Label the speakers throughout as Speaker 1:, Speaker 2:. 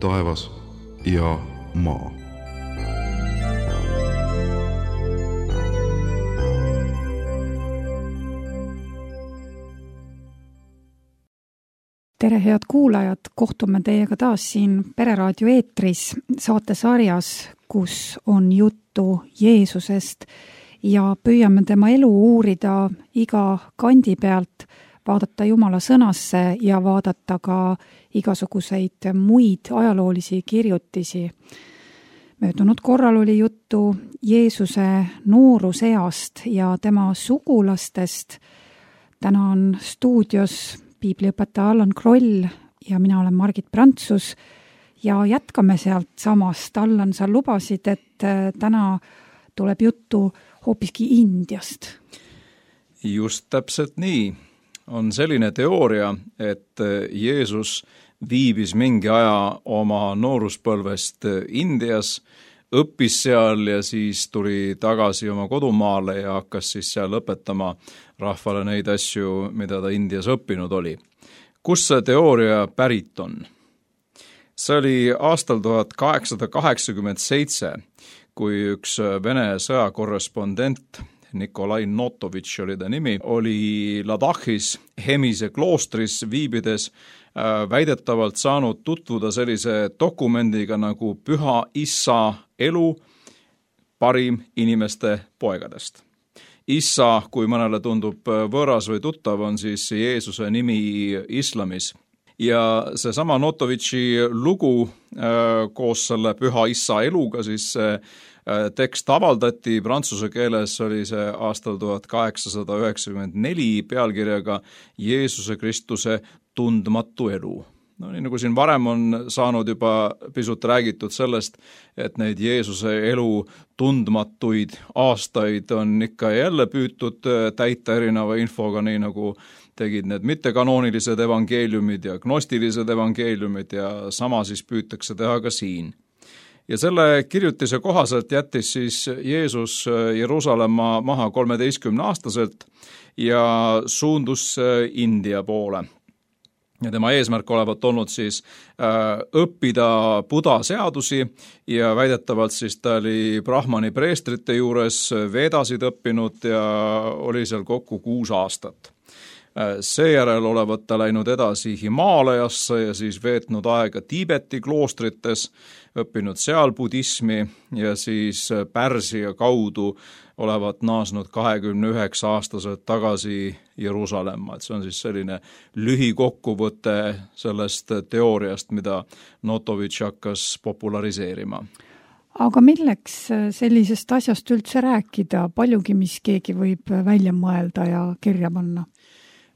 Speaker 1: taevas ja maa.
Speaker 2: Tere, head kuulajad! Kohtume teiega taas siin Pereraadio eetris saatesarjas, kus on juttu Jeesusest ja püüame tema elu uurida iga kandi pealt, vaadata Jumala sõnasse ja vaadata ka igasuguseid muid ajaloolisi kirjutisi. Möödunud korral oli juttu Jeesuse nooruseast ja tema sugulastest. Täna on stuudios piibliõpetaja Allan Kroll ja mina olen Margit Prantsus ja jätkame sealt samast. Allan, sa lubasid, et täna tuleb juttu hoopiski Indiast.
Speaker 3: Just täpselt nii. On selline teooria, et Jeesus viibis mingi aja oma nooruspõlvest Indias, õppis seal ja siis tuli tagasi oma kodumaale ja hakkas siis seal õpetama rahvale neid asju, mida ta Indias õppinud oli. Kus see teooria pärit on? See oli aastal 1887, kui üks Vene sõjakorrespondent, Nikolai Notovitš oli ta nimi, oli Ladakis Hemise kloostris viibides väidetavalt saanud tutvuda sellise dokumendiga nagu Püha Issa elu parim inimeste poegadest. Issa, kui mõnele tundub võõras või tuttav, on siis Jeesuse nimi islamis. Ja seesama Notovitši lugu koos selle Püha Issa eluga, siis tekst avaldati prantsuse keeles, oli see aastal 1894 pealkirjaga Jeesuse Kristuse tundmatu elu. No nii nagu siin varem on saanud juba pisut räägitud sellest, et neid Jeesuse elu tundmatuid aastaid on ikka jälle püütud täita erineva infoga, nii nagu tegid need mittekanoonilised evangeeliumid ja gnostilised evangeeliumid ja sama siis püütakse teha ka siin. Ja selle kirjutise kohaselt jättis siis Jeesus Jeruusalemma maha 13-aastaselt ja suundus India poole. Ja tema eesmärk olevat olnud siis õppida Buda seadusi ja väidetavalt siis ta oli Brahmani preestrite juures vedasid õppinud ja oli seal kokku 6 aastat. Seejärel olevat ta läinud edasi Himaalajasse ja siis veetnud aega Tiibeti kloostrites, õppinud seal budismi ja siis Pärsia kaudu olevat naasnud 29-aastaselt tagasi Jeruusalemma. See on siis selline lühikokkuvõte sellest teooriast, mida Notovitš hakkas populariseerima.
Speaker 2: Aga milleks sellisest asjast üldse rääkida? Paljugi, mis keegi võib välja mõelda ja kirja panna.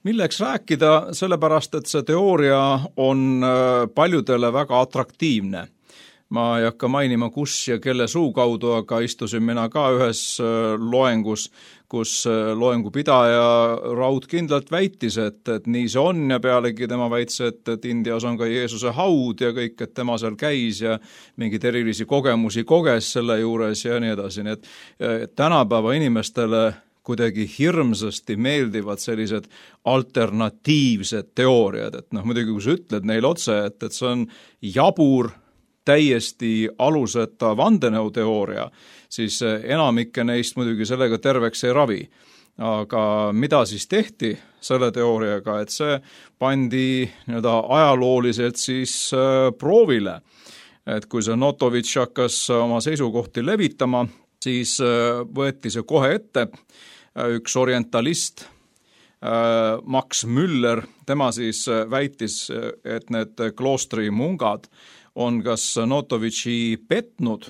Speaker 3: Milleks rääkida? Sellepärast, et see teooria on paljudele väga atraktiivne. Ma ei hakka mainima, kus ja kelle suu kaudu, aga istusin mina ka ühes loengus, kus loengupidaja raudkindlalt väitis, et nii see on ja pealegi tema väitis, et Indias on ka Jeesuse haud ja kõik, et tema seal käis ja mingid erilisi kogemusi koges selle juures ja nii edasi. Nii et tänapäeva inimestele kuidagi hirmsasti meeldivad sellised alternatiivsed teooriad, et muidugi kui sa ütled neile otse, et see on jabur, täiesti aluseta vandenõuteooria, siis enamikke neist muidugi sellega terveks ei ravi. Aga mida siis tehti selle teooriaga, et see pandi ajalooliselt siis proovile. Et kui see Notovitš hakkas oma seisukohti levitama, siis võeti see kohe ette. Üks orientalist, Max Müller, tema siis väitis, et need kloostri mungad on kas Notovitši petnud,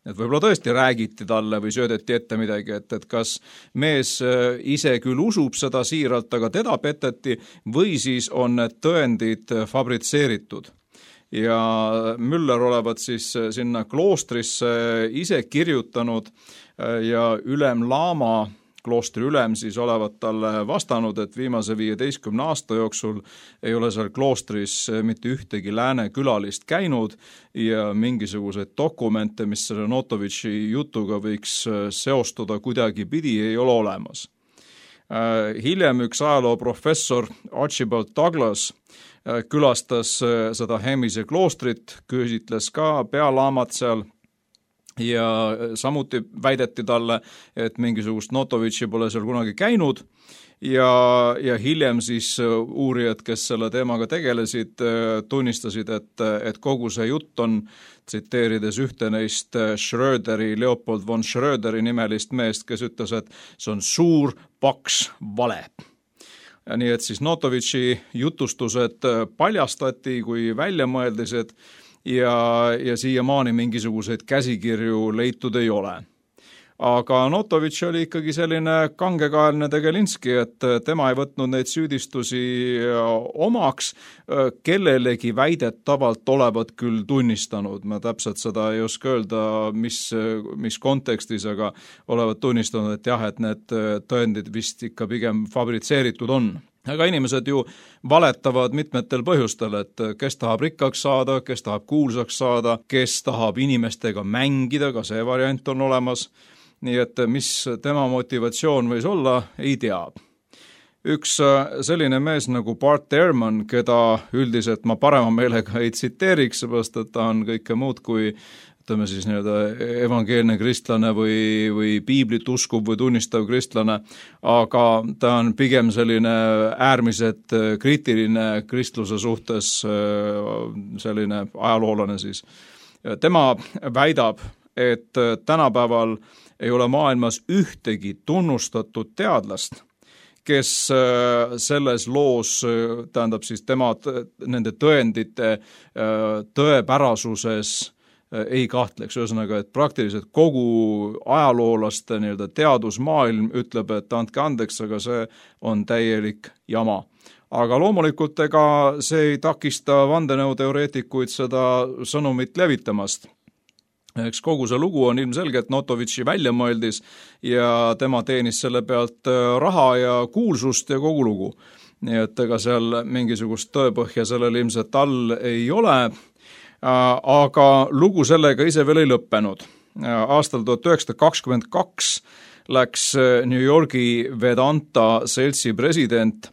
Speaker 3: et võib-olla tõesti räägiti talle või söödeti ette midagi, et kas mees ise küll usub seda siiralt, aga teda peteti või siis on need tõendid fabritseeritud. Ja Müller olevat siis sinna kloostrisse ise kirjutanud ja ülem Laama, kloostri ülem siis olevat talle vastanud, et viimase 15 aasta jooksul ei ole seal kloostris mitte ühtegi lääne külalist käinud ja mingisuguseid dokumente, mis selle Notovitši jutuga võiks seostuda kuidagi pidi, ei ole olemas. Hiljem üks ajalooprofessor Archibald Douglas külastas seda Hemise kloostrit, küsitles ka pealaamat seal ja samuti väideti talle, et mingisugust Notovitši pole seal kunagi käinud ja hiljem siis uurijad, kes selle teemaga tegelesid, tunnistasid, et kogu see jutt on, tsiteerides ühte neist Leopold von Schröderi nimelist meest, kes ütles, et see on suur paks vale. Nii et siis Notovitši jutustused paljastati kui väljamõeldised ja siiamaani mingisuguseid käsikirju leitud ei ole. Aga Notovitš oli ikkagi selline kangekaelne Tegelinski, et tema ei võtnud neid süüdistusi omaks, kellelegi väidetavalt olevat küll tunnistanud. Ma täpselt seda ei oska öelda, mis kontekstis, aga olevat tunnistanud, et jah, et need tõendid vist ikka pigem fabritseeritud on. Aga inimesed ju valetavad mitmetel põhjustel, et kes tahab rikkaks saada, kes tahab kuulsaks saada, kes tahab inimestega mängida, ka see variant on olemas. Nii et mis tema motivatsioon võis olla, ei tea. Üks selline mees nagu Bart Ehrman, keda üldiselt ma parema meelega ei tsiteeriks, seepärast et ta on kõike muud kui ütleme siis evangeelne kristlane või piiblit uskuv või tunnistav kristlane, aga ta on pigem selline äärmiselt kriitiline kristluse suhtes selline ajaloolane siis. Tema väidab, et tänapäeval ei ole maailmas ühtegi tunnustatud teadlast, kes selles loos, tähendab siis nende tõendite tõepärasuses ei kahtleks. Ühesõnaga, et praktiliselt kogu ajaloolaste teadusmaailm ütleb, et andke andeks, aga see on täielik jama. Aga loomulikult ega see ei takista vandenõuteoreetikuid seda sõnumit levitamast. Eks kogu see lugu on ilmselgelt Notovitši väljamõeldis ja tema teenis selle pealt raha ja kuulsust ja kogu lugu. Nii et ega seal mingisugust tõepõhja sellel ilmselt all ei ole, aga lugu sellega ise veel ei lõppenud. Aastal 1922 läks New Yorgi Vedanta seltsi president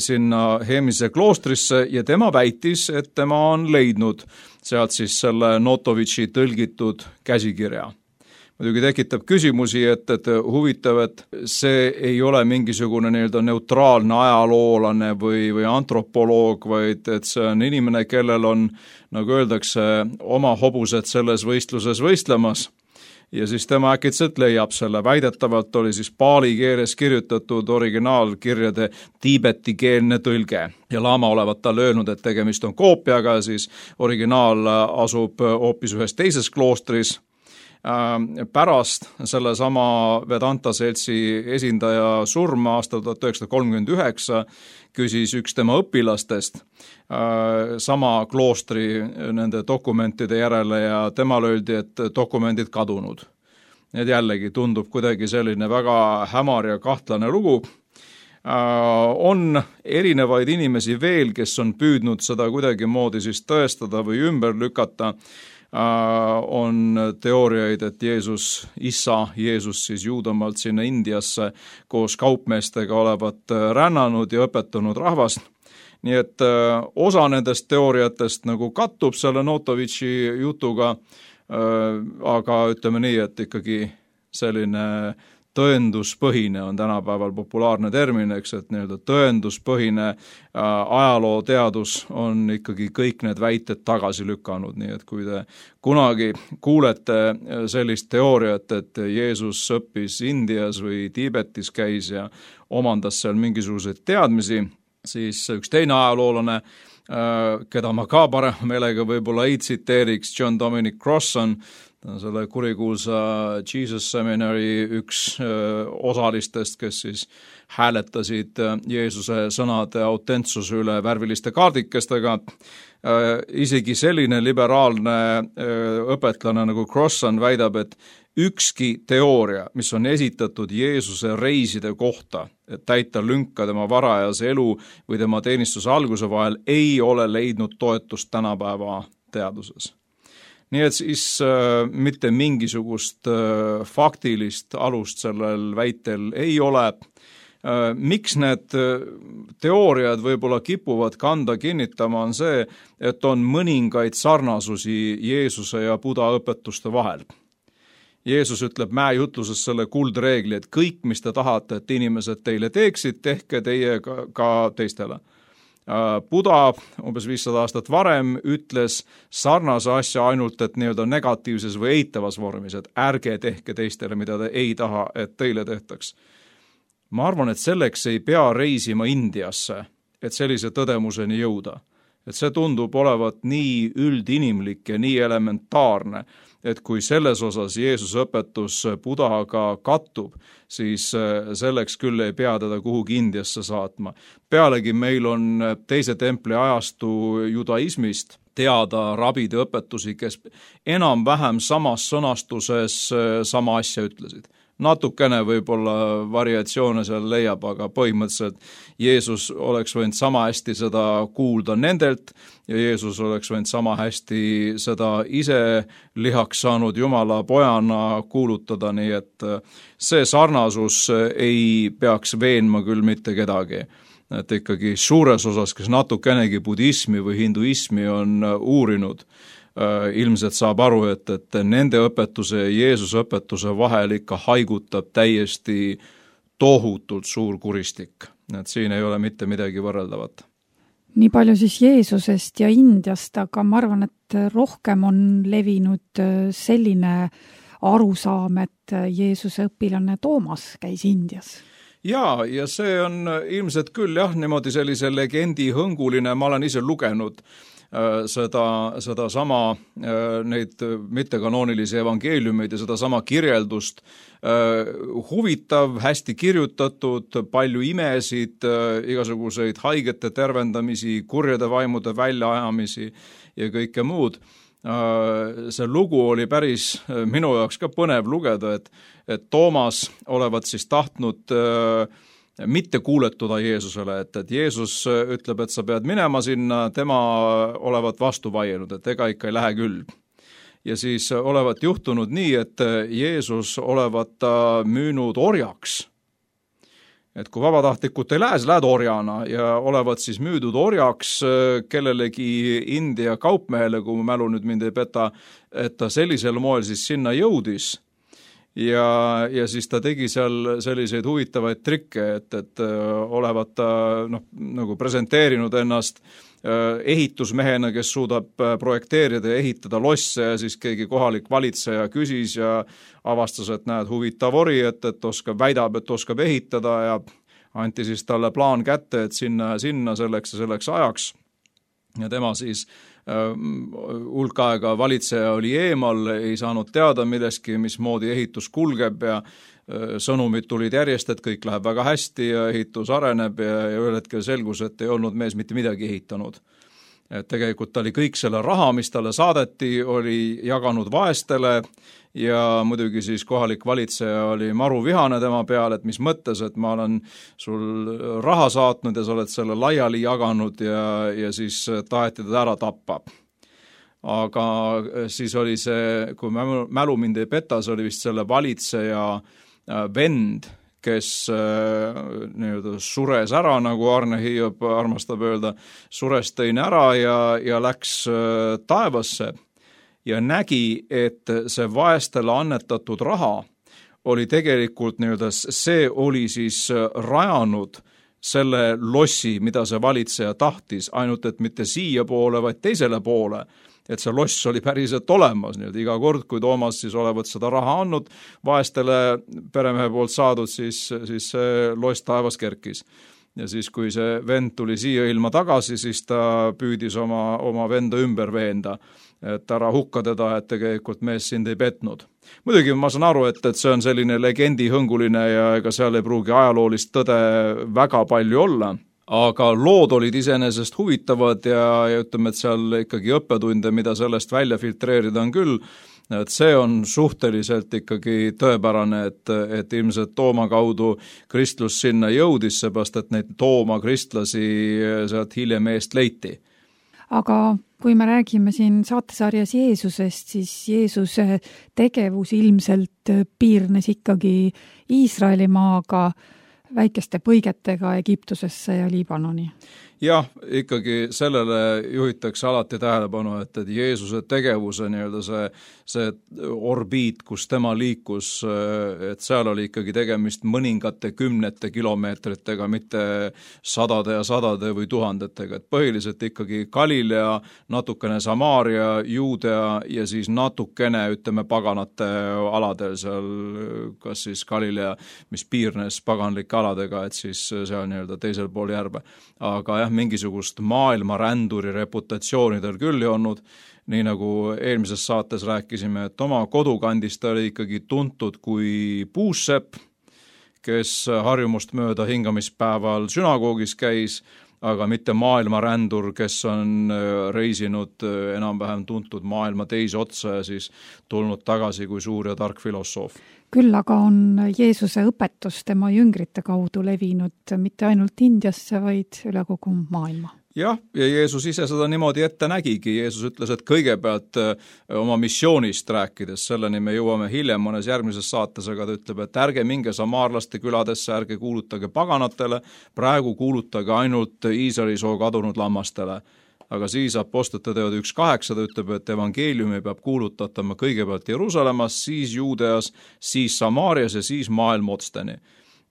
Speaker 3: sinna Hemise kloostrisse ja tema väitis, et tema on leidnud sealt siis selle Notovitši tõlgitud käsikirja. Muidugi tekitab küsimusi, et huvitav, et see ei ole mingisugune neutraalne ajaloolane või antropoloog, vaid et see on inimene, kellel on, nagu öeldakse, oma hobused selles võistluses võistlemas. Ja siis tema äkitselt leiab selle. Väidetavalt oli siis paali keeles kirjutatud originaalkirjade tiibetikeelne tõlge. Ja laama olevat talle öelnud, et tegemist on koopiaga, siis originaal asub hoopis ühes teises kloostris. Pärast sellesama Vedanta seltsi esindaja surma aastal 1939 küsis üks tema õpilastest sama kloostri nende dokumentide järele ja temal öeldi, et dokumendid kadunud. Need jällegi tundub kuidagi selline väga hämar ja kahtlane lugu. On erinevaid inimesi veel, kes on püüdnud seda kuidagi moodi siis tõestada või ümber lükata. On teooriaid, et Jeesus siis Juudamaalt sinna Indiasse koos kaupmeestega olevat rännanud ja õpetanud rahvast. Nii et osa nendest teooriatest nagu kattub selle Notovitši jutuga, aga ütleme nii, et ikkagi selline tõenduspõhine on tänapäeval populaarne termin, eks, et tõenduspõhine ajalooteadus on ikkagi kõik need väited tagasi lükanud, nii et kui te kunagi kuulete sellist teooriat, et Jeesus õppis Indias või Tiibetis käis ja omandas seal mingisuguseid teadmisi, siis üks teine ajaloolane, keda ma ka parema meelega võib-olla ei tsiteeriks, John Dominic Crossan, selle kurikuulsa Jesus Seminari üks osalistest, kes siis hääletasid Jeesuse sõnade autentsuse üle värviliste kaardikestega. Isegi selline liberaalne õpetlane nagu Crossan väidab, et ükski teooria, mis on esitatud Jeesuse reiside kohta, et täita lünka tema varajase elu või tema teenistuse alguse vahel, ei ole leidnud toetust tänapäeva teaduses. Nii et siis mitte mingisugust faktilist alust sellel väitel ei ole. Miks need teooriad võib-olla kipuvad kanda kinnitama, on see, et on mõningaid sarnasusi Jeesuse ja Buda õpetuste vahel. Jeesus ütleb mäejutluses selle kuldreegli, et kõik, mis te tahate, et inimesed teile teeksid, tehke teie ka teistele. Buda umbes 500 aastat varem ütles sarnase asja ainult, et nii-öelda negatiivses või eitavas vormis, et ärge tehke teistele, mida te ei taha, et teile tehtaks. Ma arvan, et selleks ei pea reisima Indiasse, et sellise tõdemuseni jõuda. Et see tundub olevat nii üldinimlik ja nii elementaarne, et kui selles osas Jeesuse õpetus Budaga kattub, siis selleks küll ei pea teda kuhugi Indiasse saatma. Pealegi meil on teise templi ajastu judaismist teada rabide õpetusi, kes enam-vähem samas sõnastuses sama asja ütlesid. Natukene võib-olla variatsioone seal leiab, aga põhimõtteliselt Jeesus oleks võinud sama hästi seda kuulda nendelt ja Jeesus oleks võinud sama hästi seda ise lihaks saanud Jumala pojana kuulutada, nii et see sarnasus ei peaks veenma küll mitte kedagi. Et ikkagi suures osas, kes natukenegi budismi või hinduismi on uurinud, ilmselt saab aru, et nende õpetuse ja Jeesuse õpetuse vahel ikka haigutab täiesti tohutult suur kuristik. Et siin ei ole mitte midagi võrreldavat.
Speaker 2: Nii palju siis Jeesusest ja Indiast, aga ma arvan, et rohkem on levinud selline arusaam, et Jeesuse õpilane Toomas käis Indias.
Speaker 3: Ja see on ilmselt küll niimoodi sellise legendi hõnguline, ma olen ise lugenud seda sama neid mittekanoonilisi evangeeliumeid ja seda sama kirjeldust. Huvitav, hästi kirjutatud, palju imesid, igasuguseid haigete tervendamisi, kurjade vaimude väljaajamisi ja kõike muud. See lugu oli päris minu jaoks ka põnev lugeda, et Toomas olevat siis tahtnud mitte kuuletuda Jeesusele, et Jeesus ütleb, et sa pead minema sinna, tema olevat vastu vaielnud, et ega ikka ei lähe küll. Ja siis olevat juhtunud nii, et Jeesus olevat müünud orjaks. Et kui vabatahtlikult ei lähe, siis lähed orjana ja olevat siis müüdud orjaks kellelegi India kaupmehele, kui mälu nüüd mind ei peta, et ta sellisel moel siis sinna jõudis. Ja siis ta tegi seal selliseid huvitavaid trikke, et olevat ta nagu presenteerinud ennast ehitusmehena, kes suudab projekteerida ja ehitada losse ja siis keegi kohalik valitseja küsis ja avastas, et näed huvitav ori, et väidab, et oskab ehitada ja anti siis talle plaan kätte, et sinna selleks ja selleks ajaks. Ja tema siis hulk aega valitseja oli eemal, ei saanud teada milleski, mismoodi ehitus kulgeb ja sõnumid tulid järjest, et kõik läheb väga hästi ja ehitus areneb ja ühel hetkel selgus, et ei olnud mees mitte midagi ehitanud. Et tegelikult ta oli kõik selle raha, mis talle saadeti, oli jaganud vaestele ja muidugi siis kohalik valitseja oli maru vihane tema peale, et mis mõttes, et ma olen sul raha saatnud ja sa oled selle laiali jaganud ja siis taheti teda ära tappa. Aga siis oli see, kui mälu mind ei peta, see oli vist selle valitseja vend, kes sures ära, nagu Arne Hiiop armastab öelda, sures teine ära ja läks taevasse ja nägi, et see vaestele annetatud raha oli tegelikult see oli siis rajanud selle lossi, mida see valitseja tahtis, ainult et mitte siia poole, vaid teisele poole. Et see loss oli päriselt olemas, iga kord, kui Toomas siis olevat seda raha andnud, vaestele peremehe poolt saadud, siis see loss taevas kerkis. Ja siis, kui see vend tuli siia ilma tagasi, siis ta püüdis oma venda ümber veenda, et ära hukka teda, et tegelikult mees sind ei petnud. Muidugi ma saan aru, et see on selline legendi hõnguline ja ega seal ei pruugi ajaloolist tõde väga palju olla. Aga lood olid iseenesest huvitavad ja ütleme, et seal ikkagi õppetunde, mida sellest välja filtreerida on küll, et see on suhteliselt ikkagi tõepärane, et ilmselt Tooma kaudu kristlus sinna jõudis, seepärast, et neid Tooma kristlasi sealt hiljem eest leiti.
Speaker 2: Aga Kui me räägime siin saatesarjas Jeesusest, siis Jeesuse tegevus ilmselt piirnes ikkagi Iisraelimaaga, väikeste põigetega Egiptusesse ja Liibanoni.
Speaker 3: Jah, ikkagi sellele juhitakse alati tähelepanu, et Jeesuse tegevuse see orbiit, kus tema liikus, et seal oli ikkagi tegemist mõningate kümnete kilomeetritega, mitte sadade ja sadade või tuhandetega. Et põhiliselt ikkagi Galilea, natukene Samaaria, Juudea ja siis natukene, paganate aladel seal, kas siis Galilea, mis piirnes paganlike aladega, et siis seal teisel pool järve. Aga jah, mingisugust maailmaränduri reputatsioonidel küll ei olnud, nii nagu eelmises saates rääkisime, et oma kodukandist ta oli ikkagi tuntud kui puussepp, kes harjumust mööda hingamispäeval sünagoogis käis, aga mitte maailmarändur, kes on reisinud enam-vähem tuntud maailma teise otsa ja siis tulnud tagasi kui suur ja tark filosoof.
Speaker 2: Küll aga on Jeesuse õpetus tema jüngrite kaudu levinud mitte ainult Indiasse, vaid üle kogu maailma.
Speaker 3: Jah, ja Jeesus ise seda niimoodi ette nägigi. Jeesus ütles, et kõigepealt oma missioonist rääkides, selleni me jõuame hiljem mõnes järgmises saates, aga ta ütleb, et ärge minge samaarlaste küladesse, ärge kuulutage paganatele, praegu kuulutage ainult Iisraeli soo kadunud lammastele. Aga siis Apostlite teod 1.8 ta ütleb, et evangeeliumi peab kuulutatama kõigepealt Jeruusalemmas, siis Juudeas, siis Samaarias ja siis maailma otsteni.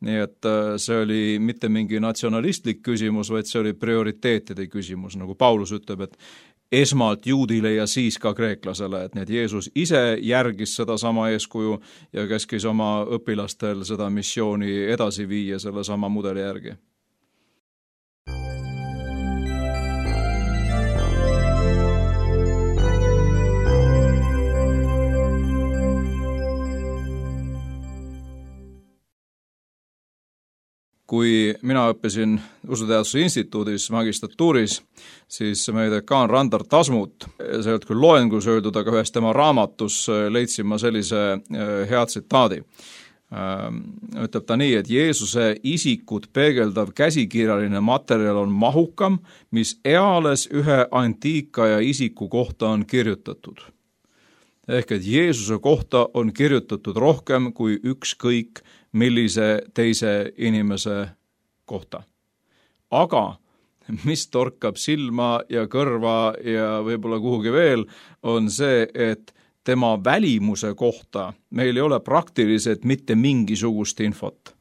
Speaker 3: Nii et see oli mitte mingi natsionalistlik küsimus, vaid see oli prioriteetide küsimus, nagu Paulus ütleb, et esmalt juudile ja siis ka kreeklasele, et need Jeesus ise järgis seda sama eeskuju ja käskis oma õpilastel seda missiooni edasi viia selle sama mudeli järgi. Kui mina õppisin Usuteaduse instituudis magistratuuris, siis meie dekaan Randar Tasmut, see ei olnud küll loengus öeldud, aga ühes tema raamatus leidsin ma sellise hea tsitaadi. Ütleb ta nii, et Jeesuse isikut peegeldav käsikirjaline materjal on mahukam, mis eales ühe antiikaja isiku kohta on kirjutatud. Ehk et Jeesuse kohta on kirjutatud rohkem kui ükskõik millise teise inimese kohta. Aga mis torkab silma ja kõrva ja võib-olla kuhugi veel, on see, et tema välimuse kohta meil ei ole praktiliselt mitte mingisugust infot.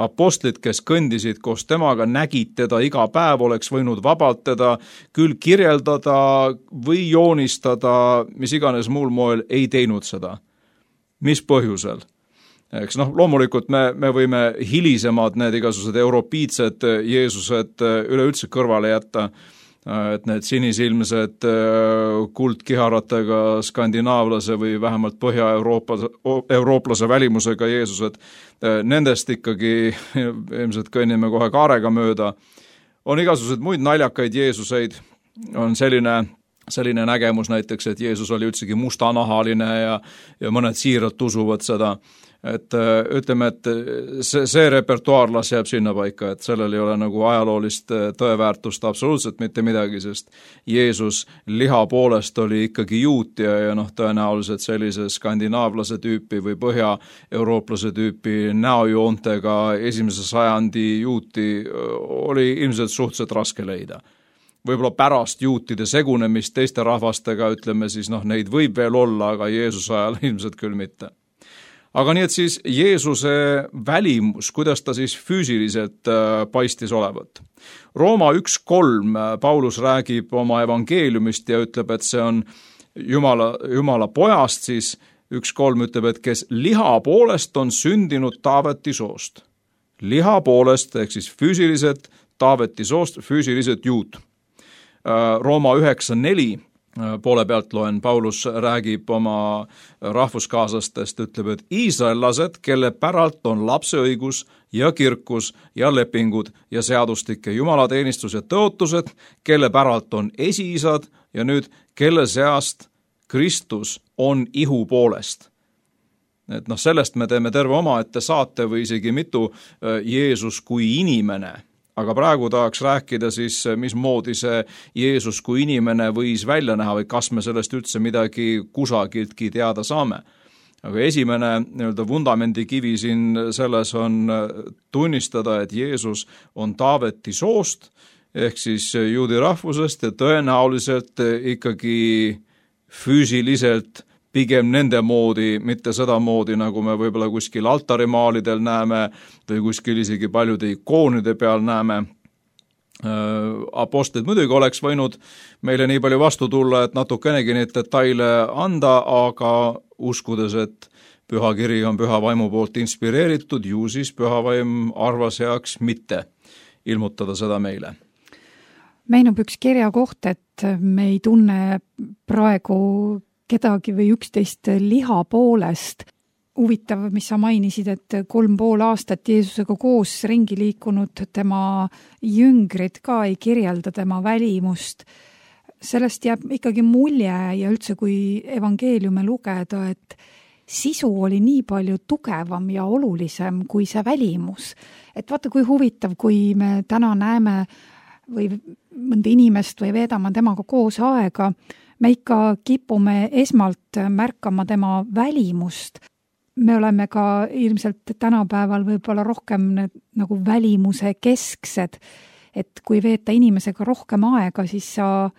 Speaker 3: Apostlid, kes kõndisid koos temaga, nägid teda iga päev, oleks võinud vabalt teda küll kirjeldada või joonistada, mis iganes muul moel ei teinud seda. Mis põhjusel? Eks loomulikult me võime hilisemad need igasugused europiitsed Jeesused üleüldse kõrvale jätta, et need sinisilmsed kuldkiharatega skandinaavlase või vähemalt põhja-eurooplase välimusega Jeesused, nendest ikkagi ilmselt kõnnime kohe kaarega mööda. On igasugused muid naljakaid Jeesuseid, on selline nägemus näiteks, et Jeesus oli üldsegi mustanahaline ja mõned siiralt usuvad seda. Et ütleme, et see repertuaarlas jääb sinna paika, et sellel ei ole nagu ajaloolist tõeväärtust absoluutselt mitte midagi, sest Jeesus liha poolest oli ikkagi juut ja tõenäoliselt sellise skandinaavlase tüüpi või põhja-eurooplase tüüpi näojoontega 1. sajandi juuti oli ilmselt suhteliselt raske leida. Võib-olla pärast juutide segunemist teiste rahvastega, ütleme siis, neid võib veel olla, aga Jeesuse ajal ilmselt küll mitte. Aga nii, et siis Jeesuse välimus, kuidas ta siis füüsiliselt paistis olevat. Rooma 1.3 Paulus räägib oma evangeeliumist ja ütleb, et see on Jumala pojast, siis 1.3 ütleb, et kes liha poolest on sündinud Taaveti soost. Liha poolest, ehk siis füüsiliselt Taaveti soost, füüsiliselt juut. Rooma 9.4 poole pealt loen, Paulus räägib oma rahvuskaaslastest, ütleb, et iisraellased, kelle päralt on lapseõigus ja kirkus ja lepingud ja seadustik ja jumalateenistus ja tõotused, kelle päralt on esiisad ja nüüd, kelle seast Kristus on ihu poolest. Et sellest me teeme terve omaette saate või isegi mitu Jeesus kui inimene. aga praegu tahaks rääkida siis, mismoodi see Jeesus kui inimene võis välja näha või kas me sellest üldse midagi kusagiltki teada saame. Aga esimene nii-öelda vundamendikivi siin selles on tunnistada, et Jeesus on Taaveti soost, ehk siis juudi rahvusest ja tõenäoliselt ikkagi füüsiliselt pigem nende moodi, mitte seda moodi, nagu me võib-olla kuskil altarimaalidel näeme või kuskil isegi paljude ikoonide peal näeme. Apostlid muidugi oleks võinud meile nii palju vastu tulla, et natukenegi neid detaile anda, aga uskudes, et püha kiri on püha vaimu poolt inspireeritud, ju siis püha vaim arvas heaks mitte ilmutada seda meile.
Speaker 2: Meenub üks kirja koht, et me ei tunne praegu kedagi või üksteist liha poolest. Huvitav, mis sa mainisid, et 3,5 aastat Jeesusega koos ringi liikunud tema jüngrid ka ei kirjelda tema välimust. Sellest jääb ikkagi mulje ja üldse kui evangeeliume lugeda, et sisu oli nii palju tugevam ja olulisem kui see välimus. Et vaata, kui huvitav, kui me täna näeme või mõnda inimest või veedame temaga koos aega, me ikka kipume esmalt märkama tema välimust. Me oleme ka ilmselt tänapäeval võib-olla rohkem nagu välimuse kesksed, et kui veeta inimesega rohkem aega, siis sa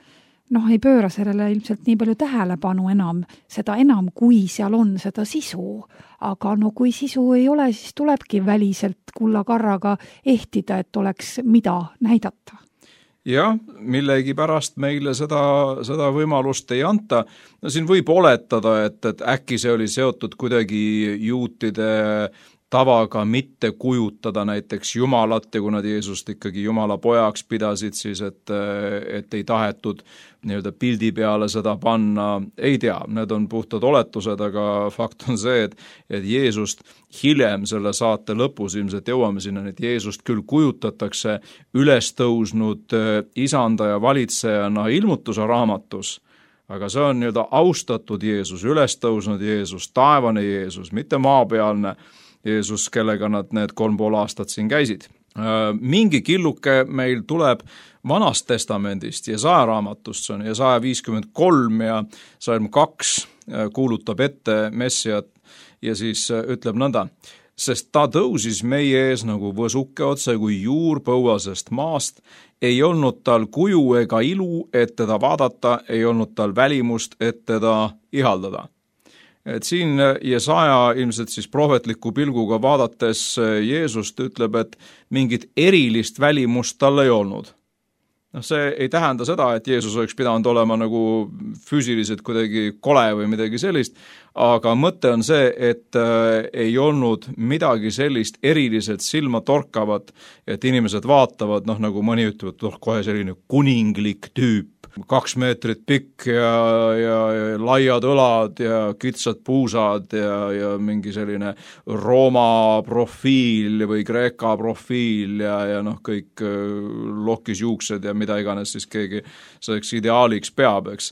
Speaker 2: ei pööra sellele ilmselt nii palju tähelepanu enam, seda enam, kui seal on seda sisu. Aga kui sisu ei ole, siis tulebki väliselt kullakarraga ehtida, et oleks mida näidata.
Speaker 3: Jah, millegi pärast meile seda võimalust ei anta. No siin võib oletada, et äkki see oli seotud kuidagi juutide tavaga mitte kujutada näiteks Jumalat ja kui nad Jeesust ikkagi Jumala pojaks pidasid, siis et ei tahetud nii-öelda pildi peale seda panna. Ei tea, need on puhtad oletused, aga fakt on see, et Jeesust hiljem selle saate lõpus ilmselt jõuame sinna, et Jeesust küll kujutatakse üles tõusnud isanda ja valitsejana ilmutuse raamatus, aga see on nii-öelda austatud Jeesus, üles tõusnud Jeesus, taevane Jeesus, mitte maapealne Jeesus, kellega nad need 3,5 aastat siin käisid. Mingi killuke meil tuleb Vanast testamendist Jesaja raamatust, see on Jesaja 53 ja salm 2 kuulutab ette Messiat ja siis ütleb nõnda, sest ta tõusis meie ees nagu võsuke otse kui juur põuasest maast, ei olnud tal kuju ega ilu, et teda vaadata, ei olnud tal välimust, et teda ihaldada. Et siin Jesaja ilmselt siis prohvetliku pilguga vaadates Jeesust ütleb, et mingit erilist välimust tal ei olnud. See ei tähenda seda, et Jeesus oleks pidanud olema nagu füüsiliselt kuidagi kole või midagi sellist, aga mõte on see, et ei olnud midagi sellist eriliselt silma torkavat, et inimesed vaatavad, nagu mõni ütleb, kohe selline kuninglik tüüp, 2 meetrit pikk ja laiad õlad ja kitsad puusad ja mingi selline Rooma profiil või Kreeka profiil ja kõik lokis juuksed ja mida iganes siis keegi selleks ideaaliks peab, eks.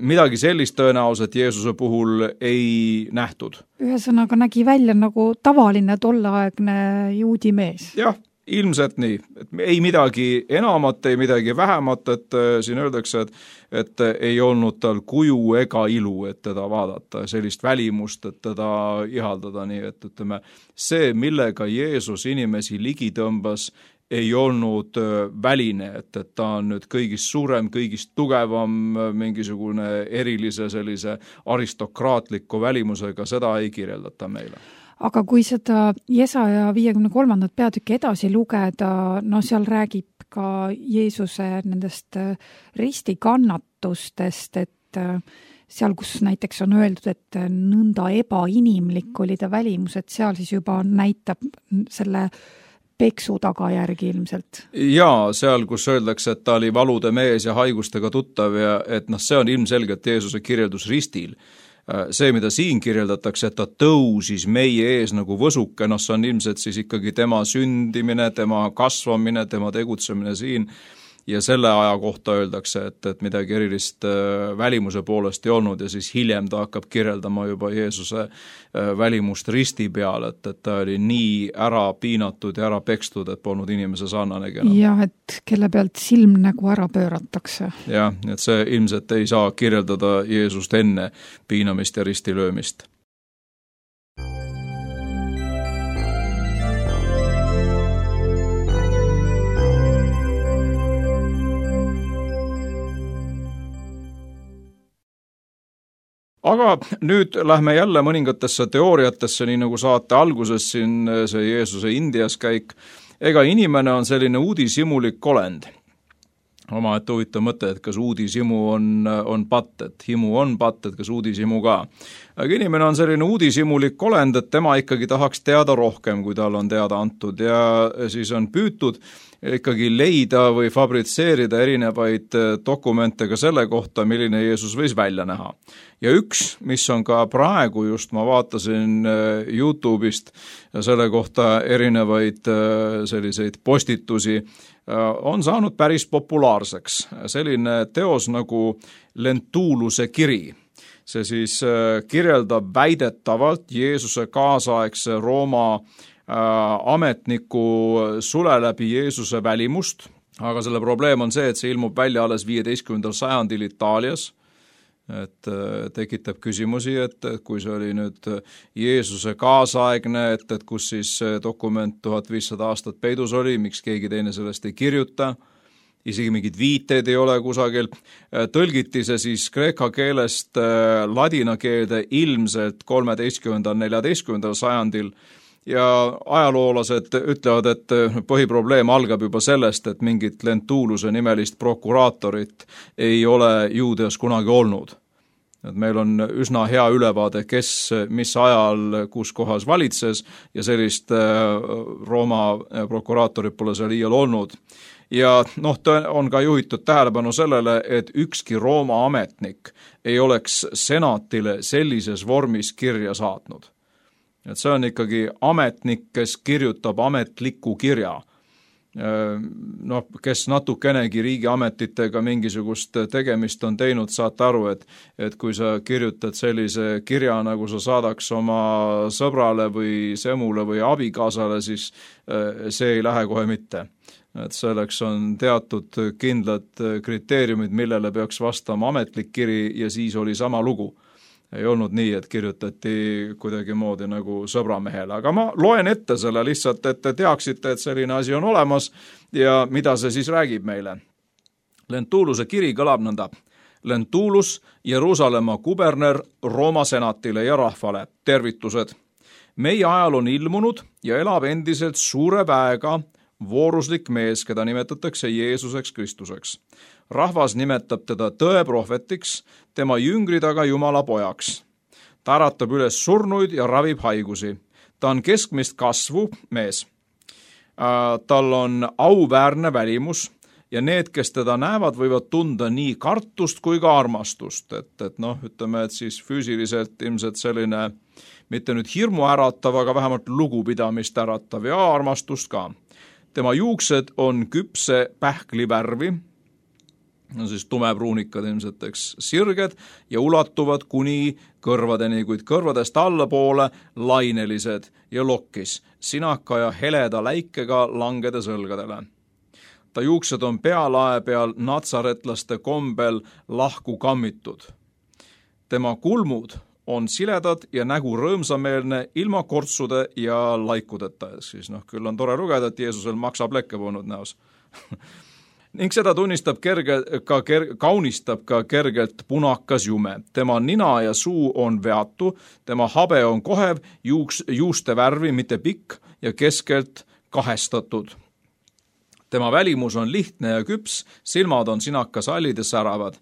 Speaker 3: Midagi sellist tõenäoliselt Jeesuse puhul ei nähtud.
Speaker 2: Ühesõnaga nägi välja nagu tavaline tolleaegne juudi mees.
Speaker 3: Jah, ilmselt nii. Ei midagi enamat, ei midagi vähemat, et siin öeldakse, et ei olnud tal kuju ega ilu, et teda vaadata, sellist välimust, et teda ihaldada, nii et ütleme, see, millega Jeesus inimesi ligi tõmbas, ei olnud väline, et ta on nüüd kõigist suurem, kõigist tugevam, mingisugune erilise sellise aristokraatliku välimusega, seda ei kirjeldata meile.
Speaker 2: Aga kui seda Jesaja 53. peatükki edasi lugeda, seal räägib ka Jeesuse nendest ristikannatustest, et seal, kus näiteks on öeldud, et nõnda ebainimlik oli ta välimus, et seal siis juba näitab selle peksu tagajärgi ilmselt. Jaa,
Speaker 3: seal, kus öeldakse, et ta oli valude mees ja haigustega tuttav ja et see on ilmselgelt Jeesuse kirjeldus ristil. See, mida siin kirjeldatakse, et ta tõusis meie ees nagu võsuke, see on ilmselt siis ikkagi tema sündimine, tema kasvamine, tema tegutsemine siin. ja selle aja kohta öeldakse, et midagi erilist välimuse poolest ei olnud ja siis hiljem ta hakkab kirjeldama juba Jeesuse välimust risti peal, et ta oli nii ära piinatud ja ära pekstud, et polnud inimese sarnanegi enam.
Speaker 2: Jah, et kelle pealt silm nagu ära pööratakse.
Speaker 3: Jah, et see ilmselt ei saa kirjeldada Jeesust enne piinamist ja ristilöömist. Aga nüüd lähme jälle mõningatesse teooriatesse, nii nagu saate alguses siin see Jeesuse Indias käik. Ega inimene on selline uudishimulik olend. Omaette huvitav mõte, et kas uudishimu on patt, et himu on patt, et kas uudishimu ka. Aga inimene on selline uudishimulik olend, et tema ikkagi tahaks teada rohkem, kui tal on teada antud ja siis on püütud ikkagi leida või fabritseerida erinevaid dokumente ka selle kohta, milline Jeesus võis välja näha. Ja üks, mis on ka praegu just, ma vaatasin YouTube'ist ja selle kohta erinevaid selliseid postitusi, on saanud päris populaarseks. Selline teos nagu Lentuluse kiri. See siis kirjeldab väidetavalt Jeesuse kaasaegse Rooma ametniku sule läbi Jeesuse välimust, aga selle probleem on see, et see ilmub välja alles 15. sajandil Itaalias, et tekitab küsimusi, et kui see oli nüüd Jeesuse kaasaegne, et kus siis dokument 1500 aastat peidus oli, miks keegi teine sellest ei kirjuta, isegi mingid viiteid ei ole kusagil. Tõlgiti see siis kreeka keelest ladina keelde ilmselt 13.–14. sajandil ja ajaloolased ütlevad, et põhiprobleem algab juba sellest, et mingit Lentuluse nimelist prokuraatorit ei ole Juudeas kunagi olnud. Et meil on üsna hea ülevaade, kes mis ajal kus kohas valitses ja sellist Rooma prokuraatorit pole seal iial olnud. Ja on ka juhitud tähelepanu sellele, et ükski Rooma ametnik ei oleks senatile sellises vormis kirja saatnud. Et see on ikkagi ametnik, kes kirjutab ametliku kirja. Kes natukenegi riigiametitega mingisugust tegemist on teinud, saate aru, et kui sa kirjutad sellise kirja, nagu sa saadaks oma sõbrale või semule või abikaasale, siis see ei lähe kohe mitte. Et selleks on teatud kindlad kriteeriumid, millele peaks vastama ametlik kiri ja siis oli sama lugu. Ei olnud nii, et kirjutati kuidagi moodi nagu sõbramehele, aga ma loen ette selle lihtsalt, et te teaksite, et selline asi on olemas ja mida see siis räägib meile. Lentuluse kiri kõlab nõnda. Lentulus, Jeruusalemma kuberner Rooma senatile ja rahvale. Tervitused. Meie ajal on ilmunud ja elab endiselt suure väega vooruslik mees, keda nimetatakse Jeesuseks Kristuseks. Rahvas nimetab teda tõeprohvetiks, tema jüngrid aga Jumala pojaks. Ta äratab üles surnuid ja ravib haigusi. Ta on keskmist kasvu mees. Tal on auväärne välimus ja need, kes teda näevad, võivad tunda nii kartust kui ka armastust. Ütleme, et siis füüsiliselt ilmselt selline, mitte nüüd hirmu äratav, aga vähemalt lugupidamist äratav ja armastust ka. Tema juuksed on küpse pähkli värvi, siis tumepruunikad ilmselt, sirged ja ulatuvad kuni kõrvadeni, kuid kõrvadest allapoole lainelised ja lokkis, sinaka ja heleda läikega langedes õlgadele. Ta juuksed on pealae peal natsaretlaste kombel lahku kammitud. Tema kulmud on siledad ja nägu rõõmsameelne ilma kortsude ja laikudeta. Siis küll on tore lugeda, et Jeesusel maksapleke polnud näos. Ning seda tunnistab kaunistab ka kergelt punakas jume. Tema nina ja suu on veatu, tema habe on kohev, juuste värvi mitte pikk ja keskelt kahestatud. Tema välimus on lihtne ja küps, silmad on sinakasallid ja säravad.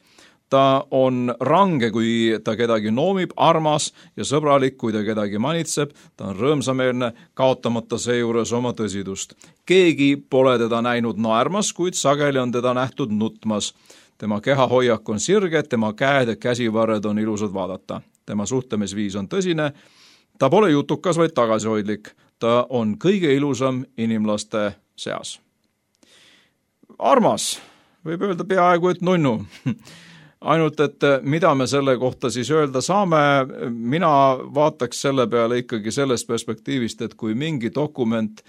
Speaker 3: Ta on range, kui ta kedagi noomib, armas ja sõbralik, kui ta kedagi manitseb. Ta on rõõmsameelne, kaotamata seejuures oma tõsidust. Keegi pole teda näinud naermas, kuid sageli on teda nähtud nutmas. Tema kehahoiak on sirge, tema käed ja käsivarred on ilusad vaadata. Tema suhtlemisviis on tõsine. Ta pole jutukas, vaid tagasihoidlik. Ta on kõige ilusam inimlaste seas. Armas. võib öelda peaaegu, et nunnu. Ainult, et mida me selle kohta siis öelda saame, mina vaataks selle peale ikkagi sellest perspektiivist, et kui mingi dokument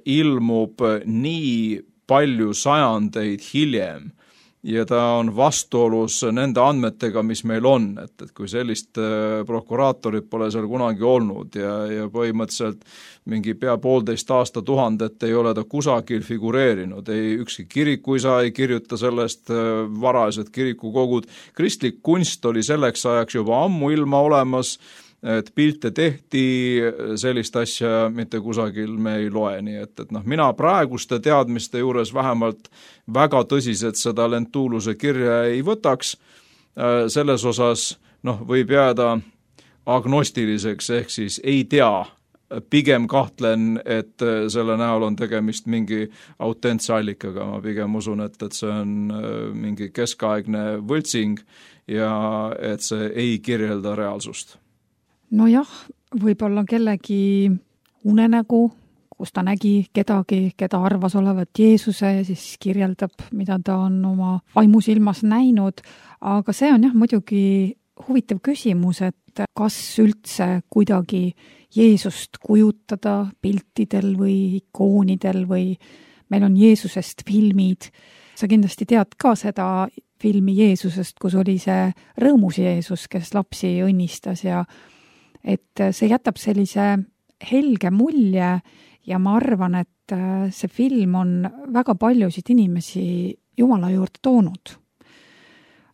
Speaker 3: ilmub nii palju sajandeid hiljem ja ta on vastuolus nende andmetega, mis meil on, et kui sellist prokuraatorit pole seal kunagi olnud ja põhimõtteliselt mingi pea 1,5 aastatuhandet ei ole ta kusagil figureerinud, ei ükski kirikuisa ei kirjuta sellest, varased kirikukogud, kristlik kunst oli selleks ajaks juba ammu ilma olemas, et pilte tehti, sellist asja mitte kusagil me ei loe, nii et mina praeguste teadmiste juures vähemalt väga tõsiselt seda Lentuluse kirja ei võtaks, selles osas võib jääda agnostiliseks, ehk siis ei tea, pigem kahtlen, et selle näol on tegemist mingi autentse allikaga, ma pigem usun, et see on mingi keskaegne võltsing ja et see ei kirjelda reaalsust.
Speaker 2: Nojah, võib-olla kellegi unenägu, kus ta nägi kedagi, keda arvas olevat Jeesuse ja siis kirjeldab, mida ta on oma vaimusilmas näinud, aga see on muidugi huvitav küsimus, et kas üldse kuidagi Jeesust kujutada piltidel või ikoonidel või meil on Jeesusest filmid. Sa kindlasti tead ka seda filmi Jeesusest, kus oli see rõõmus Jeesus, kes lapsi õnnistas ja et see jätab sellise helge mulje ja ma arvan, et see film on väga paljusid inimesi Jumala juurde toonud.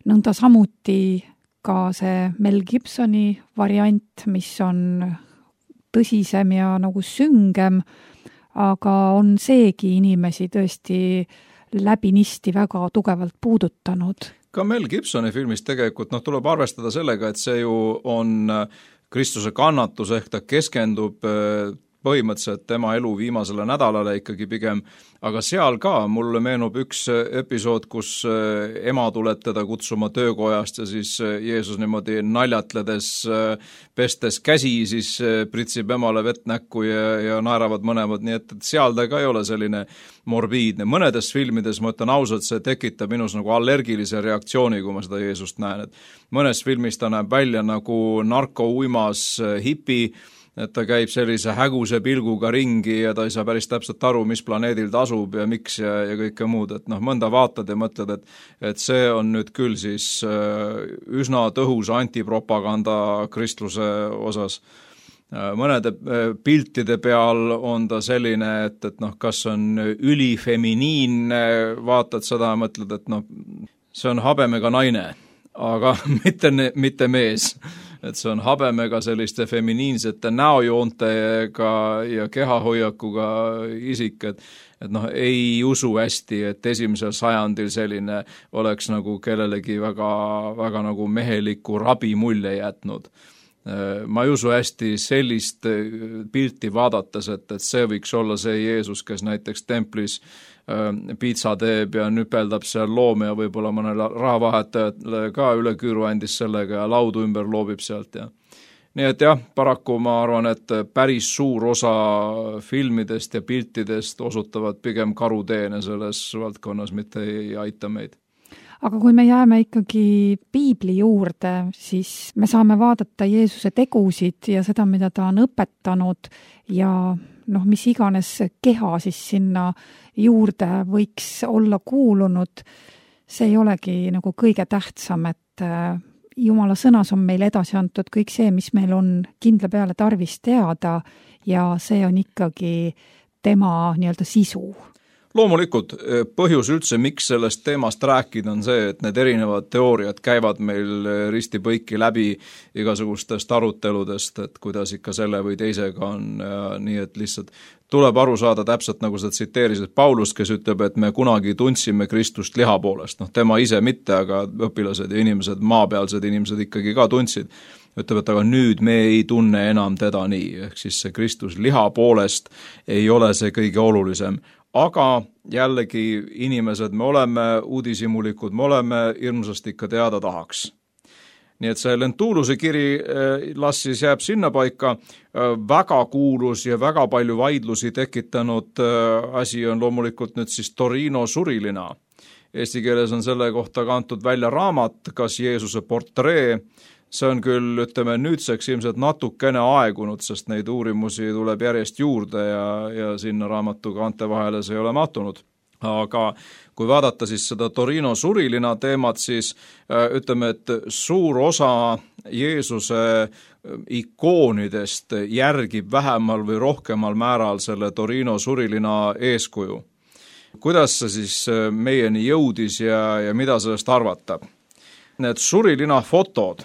Speaker 2: Nõnda samuti ka see Mel Gibsoni variant, mis on tõsisem ja nagu süngem, aga on seegi inimesi tõesti läbinisti väga tugevalt puudutanud.
Speaker 3: Ka Mel Gibsoni filmis tegelikult tuleb arvestada sellega, et see ju on Kristuse kannatus, ehk ta keskendub põhimõtteliselt tema elu viimasele nädalale ikkagi pigem, aga seal ka mulle meenub üks episood, kus ema tuleb teda kutsuma töökojast ja siis Jeesus niimoodi naljatledes, pestes käsi, siis pritsib emale vett näkku ja naeravad mõlemad, nii et seal ta ka ei ole selline morbiidne. Mõnedes filmides, ma ütlen ausalt, see tekitab minus nagu allergilise reaktsiooni, kui ma seda Jeesust näen, et mõnes filmis ta näeb välja nagu narkouimas hipi, et ta käib sellise häguse pilguga ringi ja ta ei saa päris täpselt aru, mis planeedil ta asub ja miks ja kõike muud, et mõnda vaatad ja mõtled, et see on nüüd küll siis üsna tõhus antipropaganda kristluse osas. Mõnede piltide peal on ta selline, et kas on ülifeminiinne, vaatad seda ja mõtled, et see on habemega naine, aga mitte mees. Et see on habemega selliste feminiinsete näojoontega ja kehahoiakuga isik, et ei usu hästi, et 1. sajandil selline oleks nagu kellelegi väga, väga nagu meheliku rabi mulje jätnud. Ma ei usu hästi sellist pilti vaadates, et see võiks olla see Jeesus, kes näiteks templis piitsa teeb ja nüpeldab seal loome ja võib-olla mõnele rahavahetajale ka üle küüru andis sellega ja laudu ümber loobib sealt. Ja. Nii et jah, paraku ma arvan, et päris suur osa filmidest ja piltidest osutavad pigem karuteene selles valdkonnas, mitte ei aita meid.
Speaker 2: Aga kui me jääme ikkagi piibli juurde, siis me saame vaadata Jeesuse tegusid ja seda, mida ta on õpetanud ja mis iganes keha siis sinna juurde võiks olla kuulunud, see ei olegi nagu kõige tähtsam, et Jumala sõnas on meil edasi antud kõik see, mis meil on kindla peale tarvis teada ja see on ikkagi tema nii-öelda sisu.
Speaker 3: Loomulikult põhjus üldse, miks sellest teemast rääkida, on see, et need erinevad teooriad käivad meil risti-põiki läbi igasugustest aruteludest, et kuidas ikka selle või teisega on, nii et lihtsalt tuleb aru saada täpselt, nagu sa tsiteerisid Paulust, kes ütleb, et me kunagi tundsime Kristust liha poolest. Tema ise mitte, aga õpilased ja inimesed, maapealsed inimesed ikkagi ka tundsid. Ütleb, et aga nüüd me ei tunne enam teda nii, ehk siis see Kristus liha poolest ei ole see kõige olulisem. Aga jällegi inimesed, me oleme uudishimulikud, me oleme hirmsasti ikka teada tahaks. Nii et see Lentuluse kiri las siis jääb sinna paika, väga kuulus ja väga palju vaidlusi tekitanud asi on loomulikult nüüd siis Torino surilina. Eesti keeles on selle kohta kantud välja raamat, Kas Jeesuse portree. See on küll, ütleme, nüüdseks ilmselt natukene aegunud, sest neid uurimusi tuleb järjest juurde ja sinna raamatu kaante vahele see ei ole mahtunud. Aga kui vaadata siis seda Torino surilina teemat, siis ütleme, et suur osa Jeesuse ikoonidest järgib vähemal või rohkemal määral selle Torino surilina eeskuju. Kuidas see siis meieni jõudis ja mida sellest arvata? Need surilina fotod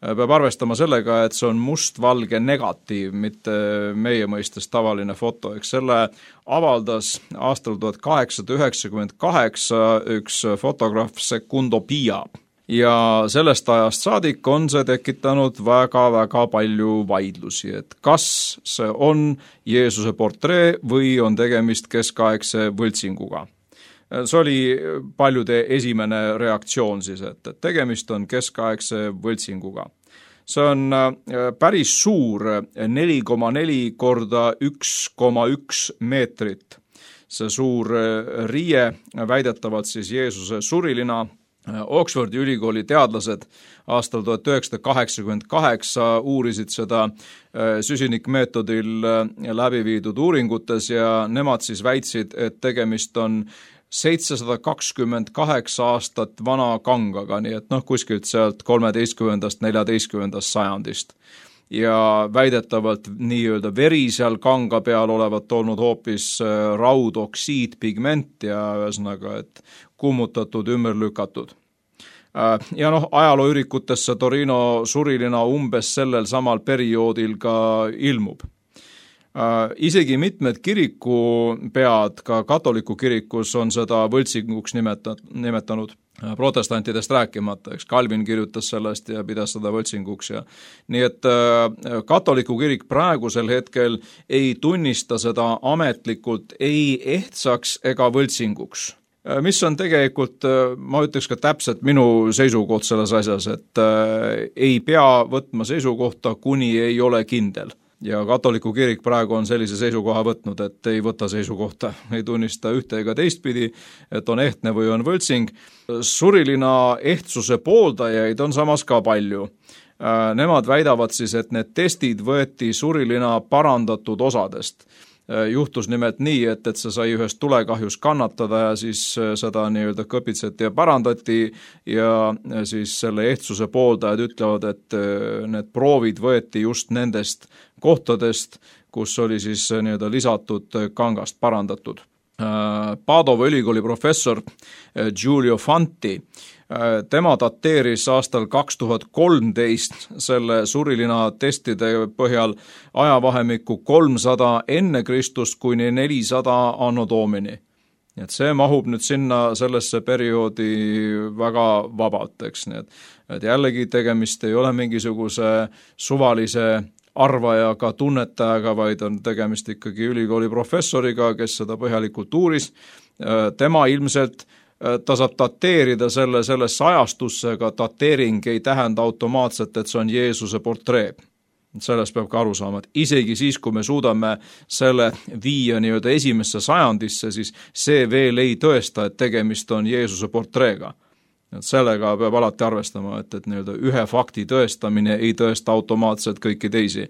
Speaker 3: peab arvestama sellega, et see on mustvalge negatiiv, mitte meie mõistes tavaline foto. Eks selle avaldas aastal 1898 üks fotograaf Secundo Pia. Ja sellest ajast saadik on see tekitanud väga-väga palju vaidlusi, et kas see on Jeesuse portree või on tegemist keskaegse võltsinguga. See oli paljude esimene reaktsioon siis, et tegemist on keskaegse võltsinguga. See on päris suur, 4,4 korda 1,1 meetrit. See suur riie, väidetavalt siis Jeesuse surilina. Oxfordi ülikooli teadlased aastal 1988 uurisid seda süsinikmeetodil läbi viidud uuringutes ja nemad siis väitsid, et tegemist on 728 aastat vana kangaga, nii et kuskilt sealt 13.–14. sajandist. Ja väidetavalt nii-öelda veri seal kanga peal olevat olnud hoopis raudoksiidpigment ja ühesõnaga, et kummutatud, ümber lükatud. Ja ajalooürikutesse Torino surilina umbes sellel samal perioodil ka ilmub. Isegi mitmed kirikupead, ka katoliku kirikus on seda võltsinguks nimetanud, protestantidest rääkimata, eks Calvin kirjutas sellest ja pidas seda võltsinguks. Nii et katoliku kirik praegusel hetkel ei tunnista seda ametlikult ei ehtsaks ega võltsinguks. Mis on tegelikult, ma ütleks ka täpselt minu seisukoht selles asjas, et ei pea võtma seisukohta, kuni ei ole kindel. Ja katoliku kirik praegu on sellise seisukoha võtnud, et ei võta seisukohta, ei tunnista ühte ega teistpidi, et on ehtne või on võltsing. Surilina ehtsuse pooldajaid on samas ka palju. Nemad väidavad siis, et need testid võeti surilina parandatud osadest. Juhtus nimelt nii, et see sai ühest tulekahjus kannatada ja siis seda nii-öelda kõpitseti ja parandati ja siis selle ehtsuse pooldajad ütlevad, et need proovid võeti just nendest kohtadest, kus oli siis nii-öelda lisatud kangast parandatud. Padova ülikooli professor Giulio Fanti, tema dateeris aastal 2013 selle surilina testide põhjal ajavahemikku 300 enne Kristust kuni 400 anno domini. Et see mahub nüüd sinna sellesse perioodi väga vabalt, eks nii, et jällegi tegemist ei ole mingisuguse suvalise arvajaga, tunnetajaga, vaid on tegemist ikkagi ülikooli professoriga, kes seda põhjalikult uuris. Tema ilmselt, ta saab dateerida sellesse ajastusse, aga dateering ei tähenda automaatselt, et see on Jeesuse portree. Sellest peab ka aru saama, et isegi siis, kui me suudame selle viia nii-öelda esimesse sajandisse, siis see veel ei tõesta, et tegemist on Jeesuse portreega. Sellega peab alati arvestama, et nii-öelda ühe fakti tõestamine ei tõesta automaatselt kõiki teisi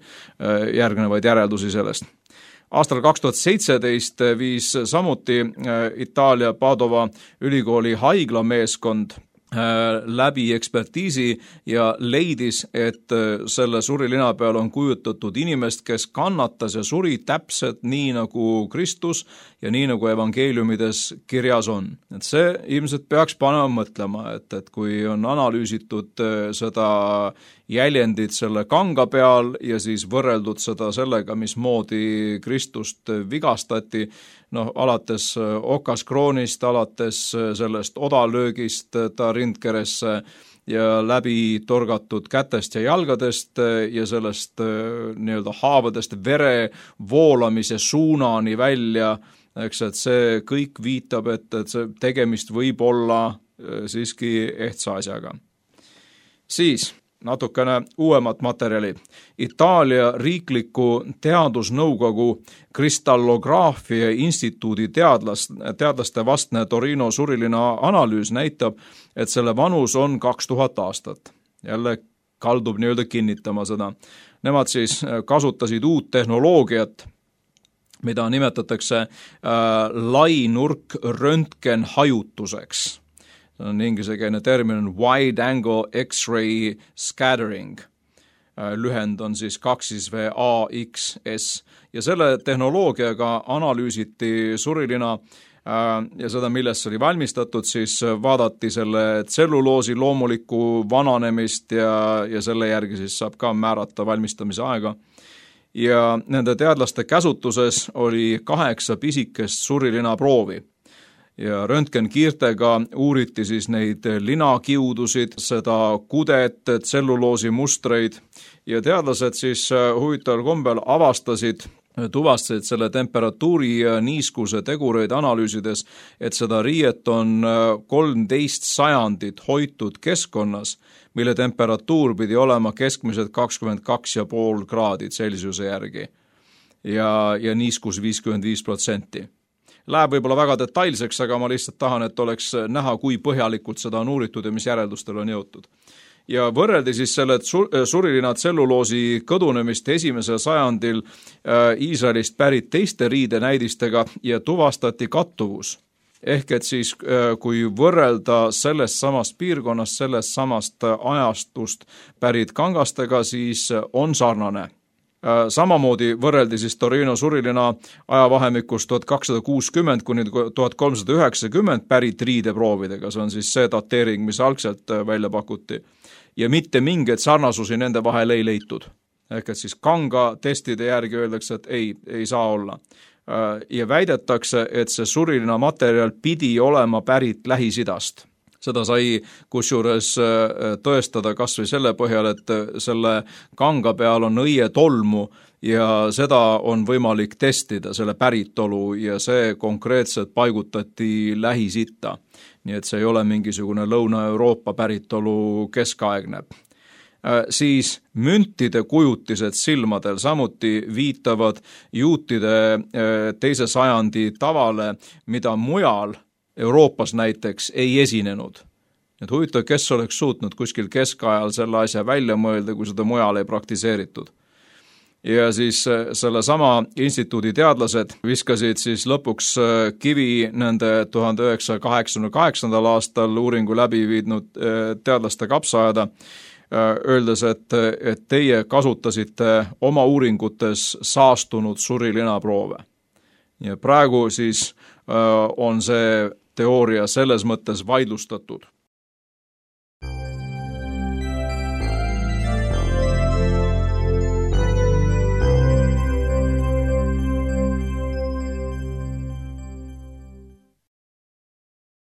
Speaker 3: järgnevaid järeldusi sellest. Aastal 2017 viis samuti Itaalia Padova ülikooli haiglameeskond läbi ekspertiisi ja leidis, et selle surilina peal on kujutatud inimest, kes kannatas ja suri täpselt nii nagu Kristus ja nii nagu evangeeliumides kirjas on. Et see ilmselt peaks panema mõtlema, et kui on analüüsitud seda jäljendit selle kanga peal ja siis võrreldud seda sellega, mismoodi Kristust vigastati, alates okaskroonist, alates sellest odalöögist ta rindkeresse ja läbi torgatud kätest ja jalgadest ja sellest nii-öelda haavadest vere voolamise suunani välja, eks, et see kõik viitab, et see tegemist võib olla siiski ehtsa asjaga. Siis natukene uuemat materjali. Itaalia riikliku teadusnõukogu kristallograafia instituudi teadlaste vastne Torino surilina analüüs näitab, et selle vanus on 2000 aastat. Jälle kaldub nii-öelda kinnitama seda. Nemad siis kasutasid uut tehnoloogiat, mida nimetatakse lainurk röntgenhajutuseks. See on ingliskeelne termin wide angle X-ray scattering. Lühend on siis 2VAXS ja selle tehnoloogiaga analüüsiti surilina ja seda, millest see oli valmistatud, siis vaadati selle tselluloosi loomulikku vananemist ja selle järgi siis saab ka määrata valmistamise aega. Ja nende teadlaste käsutuses oli 8 pisikest surilina proovi. Ja röntgenkiirtega uuriti siis neid linakiudusid, seda kudet, tselluloosi mustreid ja teadlased siis huvitaval kombel tuvastasid selle temperatuuri ja niiskuse tegureid analüüsides, et seda riiet on 13 sajandit hoitud keskkonnas, mille temperatuur pidi olema keskmiselt 22,5 kraadi Celsiuse järgi ja niiskus 55%. Läheb võib-olla väga detailseks, aga ma lihtsalt tahan, et oleks näha, kui põhjalikult seda on uuritud ja mis järeldustel on jõutud. Ja võrreldi siis selle surilina tselluloosi kõdunemist 1. sajandil Iisraelist pärit teiste riidenäidistega ja tuvastati kattuvus. Ehk et siis, kui võrrelda sellest samast piirkonnast, sellest samast ajastust pärit kangastega, siis on sarnane. Samamoodi võrreldi siis Torino surilina ajavahemikus 1260 kuni 1390 pärit riideproovidega, see on siis see dateering, mis algselt välja pakuti. Ja mitte mingeid sarnasusi nende vahel ei leitud. Ehk et siis kanga testide järgi öeldakse, et ei saa olla. Ja väidetakse, et see surilina materjal pidi olema pärit Lähis-Idast. Seda sai kusjuures tõestada kas või selle põhjal, et selle kanga peal on õietolmu ja seda on võimalik testida, selle päritolu, ja see konkreetselt paigutati Lähis-Itta. Nii et see ei ole mingisugune Lõuna-Euroopa päritolu keskaegne. Siis müntide kujutised silmadel samuti viitavad juutide 2. sajandi tavale, mida mujal Euroopas näiteks ei esinenud. Et huvitav, kes oleks suutnud kuskil keskajal selle asja välja mõelda, kui seda mujal ei praktiseeritud. Ja siis selle sama instituudi teadlased viskasid siis lõpuks kivi nende 1988. aastal uuringu läbi viidnud teadlaste kapsaaeda, öeldes, et teie kasutasite oma uuringutes saastunud surilinaproove. Ja praegu siis on see teooria selles mõttes vaidlustatud.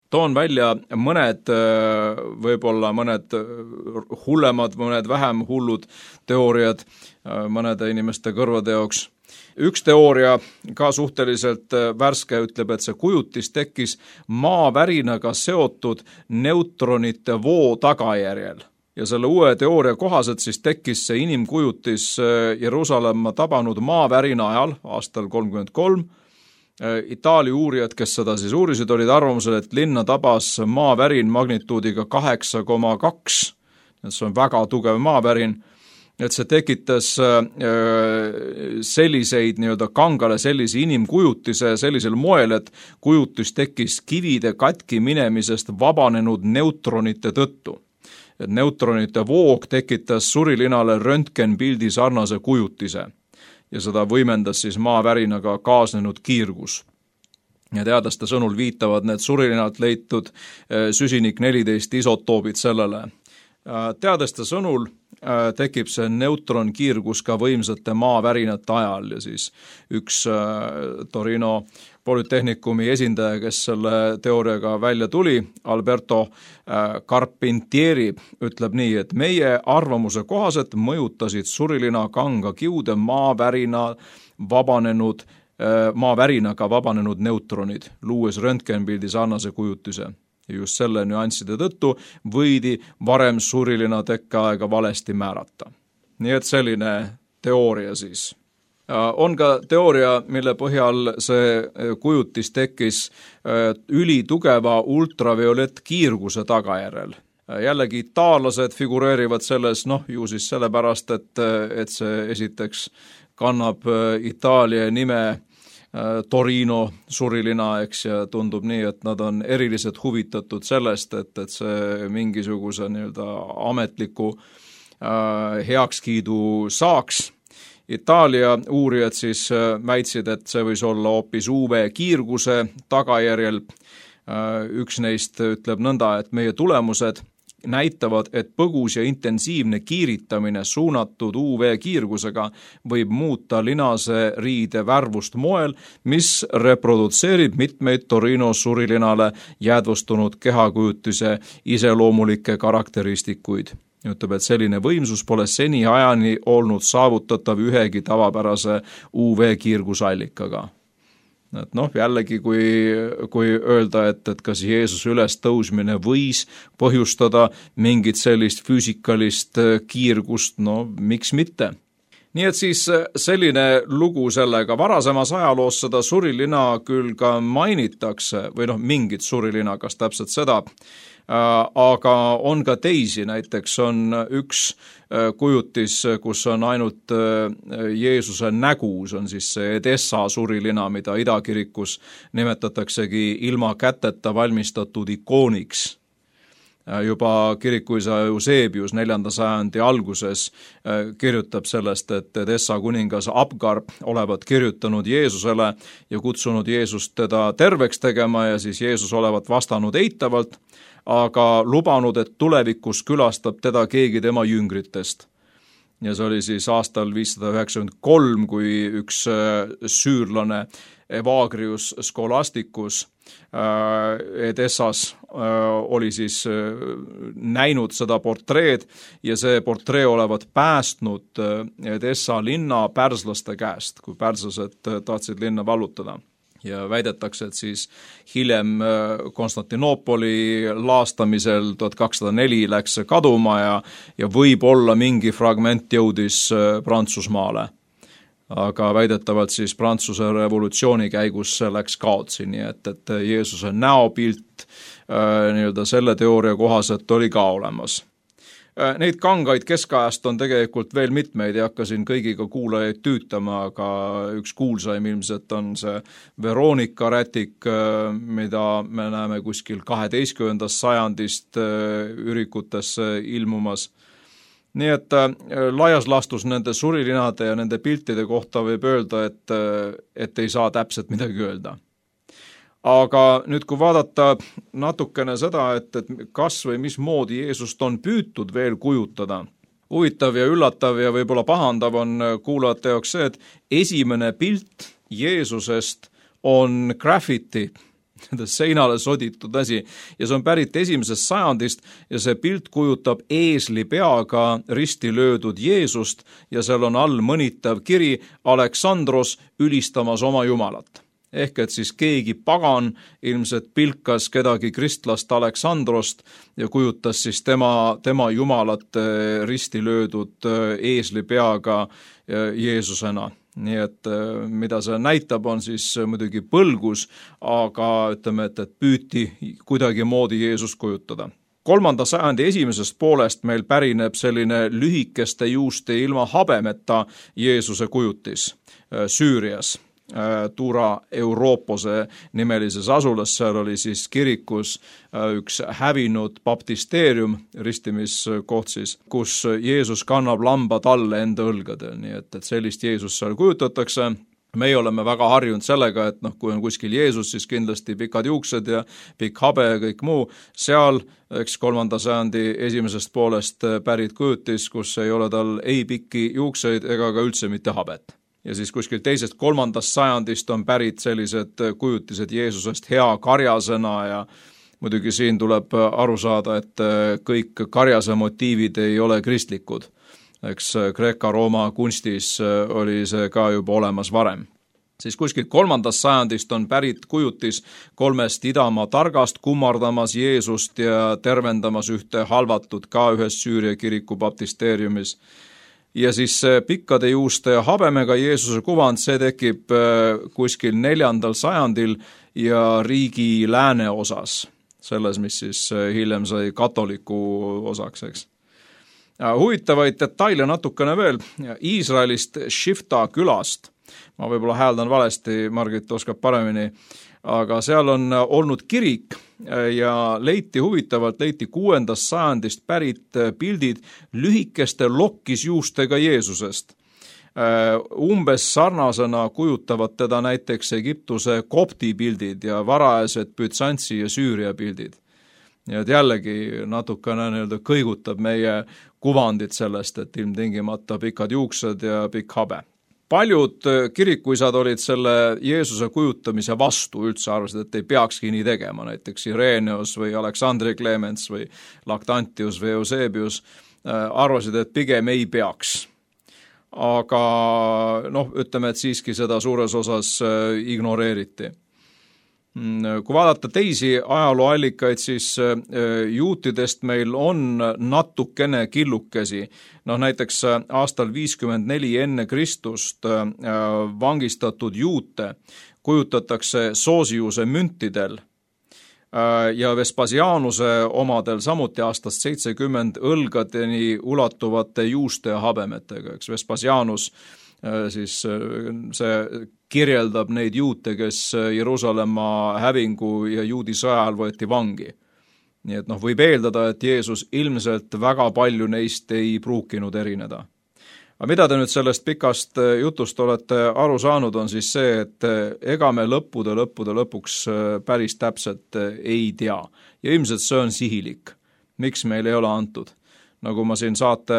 Speaker 3: Toon välja mõned hullemad, mõned vähem hullud teooriad mõnede inimeste kõrvade jaoks. Üks teooria, ka suhteliselt värske, ütleb, et see kujutis tekkis maavärinaga seotud neutronite voo tagajärjel. Ja selle uue teooria kohaselt siis tekkis see inimkujutis Jeruusalemma tabanud maavärina ajal, aastal 33. Itaalia uurijad, kes seda siis uurisid, olid arvamusel, et linna tabas maavärin magnituudiga 8,2. See on väga tugev maavärin. Et see tekitas selliseid nii-öelda kangale sellise inimkujutise sellisel moel, et kujutis tekkis kivide katki minemisest vabanenud neutronite tõttu. Et neutronite voog tekitas surilinale röntgenpildi sarnase kujutise ja seda võimendas siis maavärinaga kaasnenud kiirgus. Ja teadlaste sõnul viitavad need surilinalt leitud süsinik 14 isotoobid sellele. Teadlaste sõnul tekib see neutronkiirgus ka võimsate maavärinate ajal ja siis üks Torino Polütehnikumi esindaja, kes selle teooriaga välja tuli, Alberto Carpentieri, ütleb nii, et meie arvamuse kohaselt mõjutasid surilina kanga kiude maavärinaga vabanenud neutronid, luues röntgenpildi sarnase kujutise. ja just selle nüansside tõttu võidi varem surilina tekkeaega valesti määrata. Nii et selline teooria siis. On ka teooria, mille põhjal see kujutis tekkis ülitugeva ultraviolettkiirguse tagajärjel. Jällegi itaallased figureerivad selles, ju siis sellepärast, et see esiteks kannab Itaalia nime Torino surilina, eks, ja tundub nii, et nad on eriliselt huvitatud sellest, et see mingisuguse ametliku heakskiidu saaks. Itaalia uurijad siis väitsid, et see võis olla hoopis UV-kiirguse tagajärjel. Üks neist ütleb nõnda, et meie tulemused näitavad, et põgus ja intensiivne kiiritamine suunatud UV-kiirgusega võib muuta linase riide värvust moel, mis reprodutseerib mitmeid Torino surilinale jäädvustunud kehakujutise iseloomulikke karakteristikuid. Ütleb, et selline võimsus pole seni ajani olnud saavutatav ühegi tavapärase UV-kiirgusallikaga. Et jällegi, kui öelda, et kas Jeesuse ülestõusmine võis põhjustada mingit sellist füüsikalist kiirgust, miks mitte? Nii et siis selline lugu sellega. Varasemas ajaloos seda surilina küll ka mainitakse, või mingit surilina, kas täpselt seda, aga on ka teisi, näiteks on üks kujutis, kus on ainult Jeesuse nägu, see on siis see Edessa surilina, mida idakirikus nimetataksegi ilma käteta valmistatud ikooniks. Juba kirikuisa Eusebius 4. sajandi alguses kirjutab sellest, et Edessa kuningas Abgar olevat kirjutanud Jeesusele ja kutsunud Jeesust teda terveks tegema ja siis Jeesus olevat vastanud eitavalt, aga lubanud, et tulevikus külastab teda keegi tema jüngritest. Ja see oli siis aastal 593, kui üks süürlane Evagrius Scholasticus Edessas oli siis näinud seda portreed ja see portree olevat päästnud Edessa linna pärslaste käest, kui pärslased tahtsid linna vallutada. Ja väidetakse, et siis hiljem Konstantinoopoli laastamisel 1204 läks see kaduma ja võib-olla mingi fragment jõudis Prantsusmaale. Aga väidetavalt siis Prantsuse revolutsiooni käigus läks kaotsi, nii et Jeesuse näopilt selle teooria kohaselt oli ka olemas. Neid kangaid keskajast on tegelikult veel mitmeid ja hakkasin kõigiga kuulajaid tüütama, aga üks kuulsaim ilmselt on see Veronika rätik, mida me näeme kuskil 12. sajandist ürikutesse ilmumas. Nii et laias laastus nende surilinade ja nende piltide kohta võib öelda, et ei saa täpselt midagi öelda. Aga nüüd, kui vaadata natukene seda, et kas või mismoodi Jeesust on püütud veel kujutada, huvitav ja üllatav ja võib-olla pahandav on kuulajate jaoks see, et esimene pilt Jeesusest on graffiti, seinale soditud asi, ja see on pärit 1. sajandist ja see pilt kujutab eesli peaga risti löödud Jeesust ja seal on all mõnitav kiri Aleksandros ülistamas oma jumalat. Ehk et siis keegi pagan ilmselt pilkas kedagi kristlast Aleksandrost ja kujutas siis tema jumalat risti löödud eesli peaga Jeesusena. Nii et mida see näitab, on siis muidugi põlgus, aga ütleme, et püüti kuidagi moodi Jeesust kujutada. 3. sajandi esimesest poolest meil pärineb selline lühikeste juuste ilma habemeta Jeesuse kujutis Süürias. Tura Europose nimelises asulas, seal oli siis kirikus üks hävinud baptisteerium, ristimiskoht siis, kus Jeesus kannab lamba talle enda õlgadel, nii et sellist Jeesust seal kujutatakse. Meie oleme väga harjunud sellega, et kui on kuskil Jeesus, siis kindlasti pikad juuksed ja pikk habe ja kõik muu. Seal, 3. sajandi esimesest poolest pärit kujutis, kus ei ole tal ei pikki juukseid ega ka üldse mitte habet. Ja siis kuskil 2. 3. sajandist on pärit sellised kujutised Jeesusest hea karjasena ja muidugi siin tuleb aru saada, et kõik karjase motiivid ei ole kristlikud. Eks Kreeka-Rooma kunstis oli see ka juba olemas varem. siis kuskil 3. sajandist on pärit kujutis 3 idamaa targast kummardamas Jeesust ja tervendamas ühte halvatud ka ühes Süüria kiriku baptisteeriumis. Ja siis pikkade juuste ja habemega Jeesuse kuvand, see tekib kuskil 4. sajandil ja riigi lääne osas, selles, mis siis hiljem sai katoliku osaks, eks. Huvitavaid detaile natukene veel Iisraelist Shifta külast. Ma võib-olla hääldan valesti, Margit oskab paremini, aga seal on olnud kirik ja leiti 6. sajandist pärit pildid lühikeste lokkisjuustega Jeesusest. Umbes sarnasena kujutavad teda näiteks Egiptuse kopti pildid ja varajased Bütsantsi ja Süüria pildid. Ja jällegi natukene kõigutab meie kuvandit sellest, et ilmtingimata pikad juuksed ja pikk habe. Paljud kirikuisad olid selle Jeesuse kujutamise vastu, üldse arvasid, et ei peakski nii tegema, näiteks Ireneus või Aleksandri Clemens või Lactantius või Eusebius arvasid, et pigem ei peaks. Aga ütleme, et siiski seda suures osas ignoreeriti. Kui vaadata teisi ajalooallikaid, siis juutidest meil on natukene killukesi. Näiteks aastal 54 enne Kristust vangistatud juute kujutatakse Sosiuse müntidel ja Vespasianuse omadel samuti aastast 70 õlgadeni ulatuvate juuste ja habemetega. Eks Vespasianus siis see kirjeldab neid juute, kes Jeruusalemma hävingu ja juudi sõja ajal võeti vangi. Nii et võib eeldada, et Jeesus ilmselt väga palju neist ei pruukinud erineda. Aga mida te nüüd sellest pikast jutust olete aru saanud, on siis see, et ega me lõppude lõpuks päris täpselt ei tea. Ja ilmselt see on sihilik. Miks meil ei ole antud? Nagu ma siin saate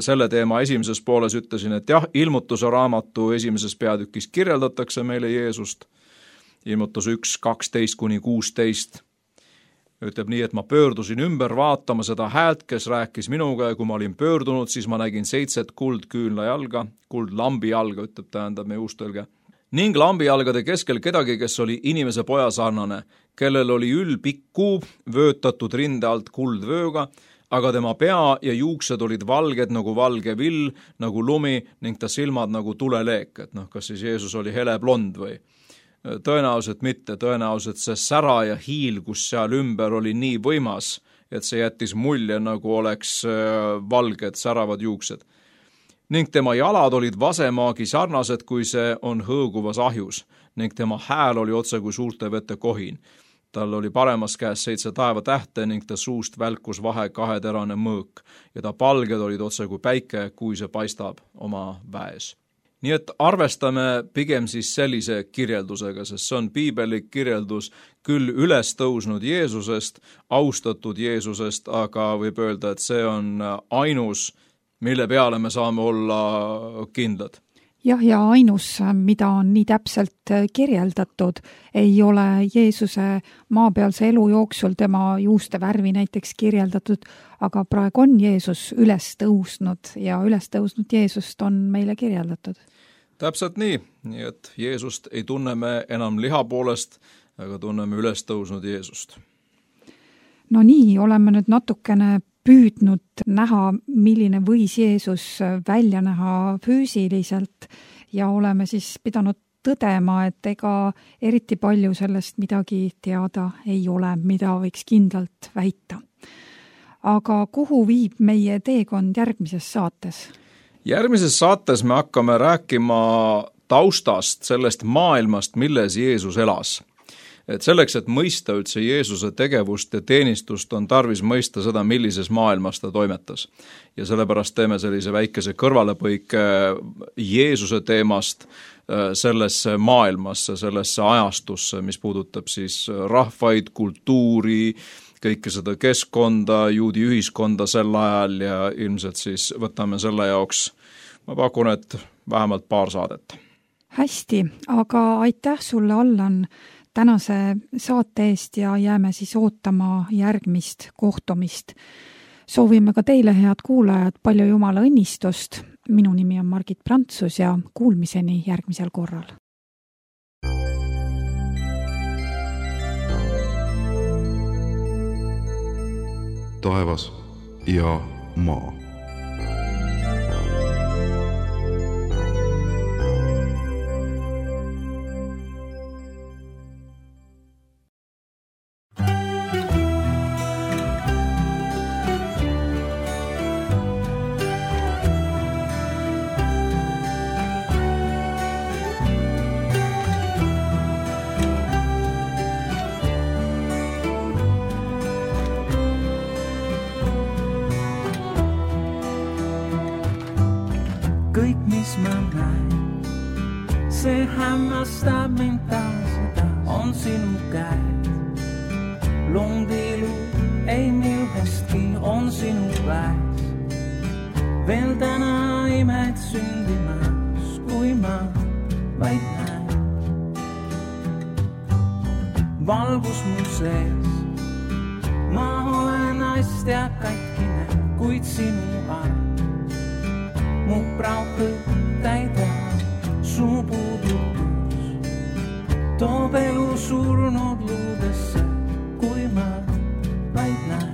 Speaker 3: selle teema esimeses pooles ütlesin, et jah, ilmutuse raamatu esimeses peatükis kirjeldatakse meile Jeesust. Ilmutus 1, 12-16. Ütleb nii, et ma pöördusin ümber vaatama seda häält, kes rääkis minuga ja kui ma olin pöördunud, siis ma nägin 7 kuldküünlajalga, kuldlambijalga, ütleb tähendab meie uustõlge. Ning lambijalgade keskel kedagi, kes oli inimese poja sarnane, kellel oli ülpikk kuub vöötatud rinde alt kuldvööga, aga tema pea ja juuksed olid valged nagu valge vill, nagu lumi ning ta silmad nagu tuleleek. Et kas siis Jeesus oli hele blond või? Tõenäoliselt mitte, tõenäoliselt see sära ja hiil, kus seal ümber oli nii võimas, et see jättis mulje, nagu oleks valged, säravad juuksed. Ning tema jalad olid vasemaagi sarnased, kui see on hõõguvas ahjus, ning tema hääl oli otse kui suurte vete kohin. Tal oli paremas käes 7 taevatähte ning ta suust välkus vahe 2-terane mõõk ja ta palged olid otse kui päike, kui see paistab oma väes. Nii et arvestame pigem siis sellise kirjeldusega, sest see on piibelik kirjeldus küll üles tõusnud Jeesusest, austatud Jeesusest, aga võib öelda, et see on ainus, mille peale me saame olla kindlad.
Speaker 2: Jah, ja ainus, mida on nii täpselt kirjeldatud, ei ole Jeesuse maapealse elu jooksul tema juuste värvi näiteks kirjeldatud, aga praegu on Jeesus üles tõusnud ja üles tõusnud Jeesust on meile kirjeldatud.
Speaker 3: Täpselt nii et Jeesust ei tunne me enam liha poolest, aga tunneme üles tõusnud Jeesust.
Speaker 2: No nii, oleme nüüd natukene püüdnud näha, milline võis Jeesus välja näha füüsiliselt ja oleme siis pidanud tõdema, et ega eriti palju sellest midagi teada ei ole, mida võiks kindlalt väita. Aga kuhu viib meie teekond järgmises saates?
Speaker 3: Järgmises saates me hakkame rääkima taustast, sellest maailmast, milles Jeesus elas. Et selleks, et mõista üldse Jeesuse tegevust ja teenistust, on tarvis mõista seda, millises maailmas ta toimetas. Ja sellepärast teeme sellise väikese kõrvalepõike Jeesuse teemast sellesse maailmasse, sellesse ajastusse, mis puudutab siis rahvaid, kultuuri, kõike seda keskkonda, juudi ühiskonda sel ajal ja ilmselt siis võtame selle jaoks, ma pakun, et vähemalt 2 saadet.
Speaker 2: Hästi, aga aitäh sulle, Allan, tänase saate eest ja jääme siis ootama järgmist kohtumist. Soovime ka teile, head kuulajad, palju Jumala õnnistust. Minu nimi on Margit Prantsus ja kuulmiseni järgmisel korral.
Speaker 1: taevas ja maa.
Speaker 4: Kõik, mis ma näen, see hämmastab mind taas ja taas, on sinu käed. Londilu ei millestki on sinu väes. Veel täna imed sündimas, kui ma vaid näen. Valgus mu sees, ma olen naist ja katkine, kuid sinu arm mu praegu täidab su puudutus. Toob elu surnud luudesse, kui ma vaid näen.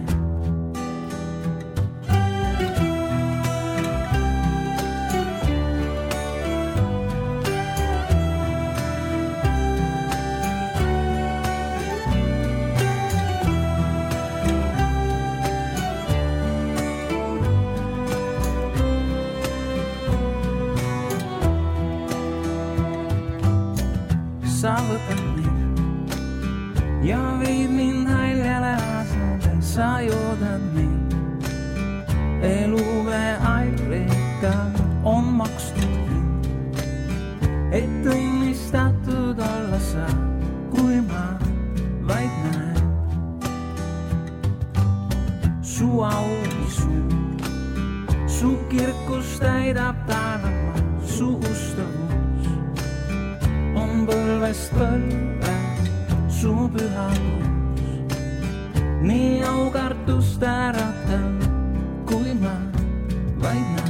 Speaker 4: Sa võtad mind ja viid mind haljale asale, sa joodad mind. Eluvee airika on makstud hind, et õnnistatud olla sa, kui ma vaid näen. Su augi suur, su kirkus täidab taevama, su ustavus on põlvest põlve, su pühadus. Nii aukartust äratab, kui ma vaid näen.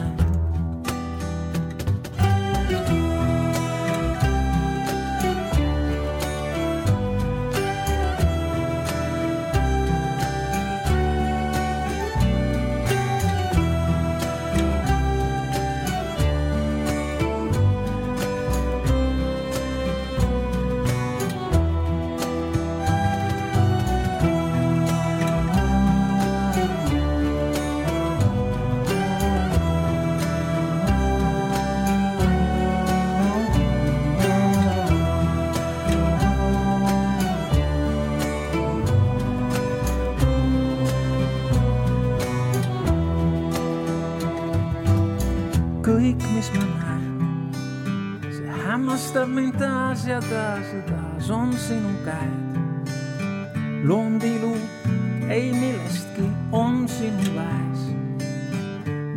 Speaker 4: Kõik, mis ma näen, see hämmastab mind taas ja taas ja taas, on sinu käed. Londilu ei millestki on sinu väes.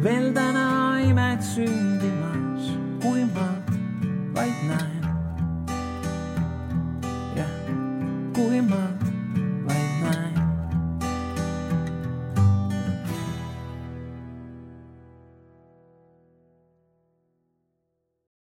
Speaker 4: Veel täna imed sündimas, kui ma vaid näen. Ja kui ma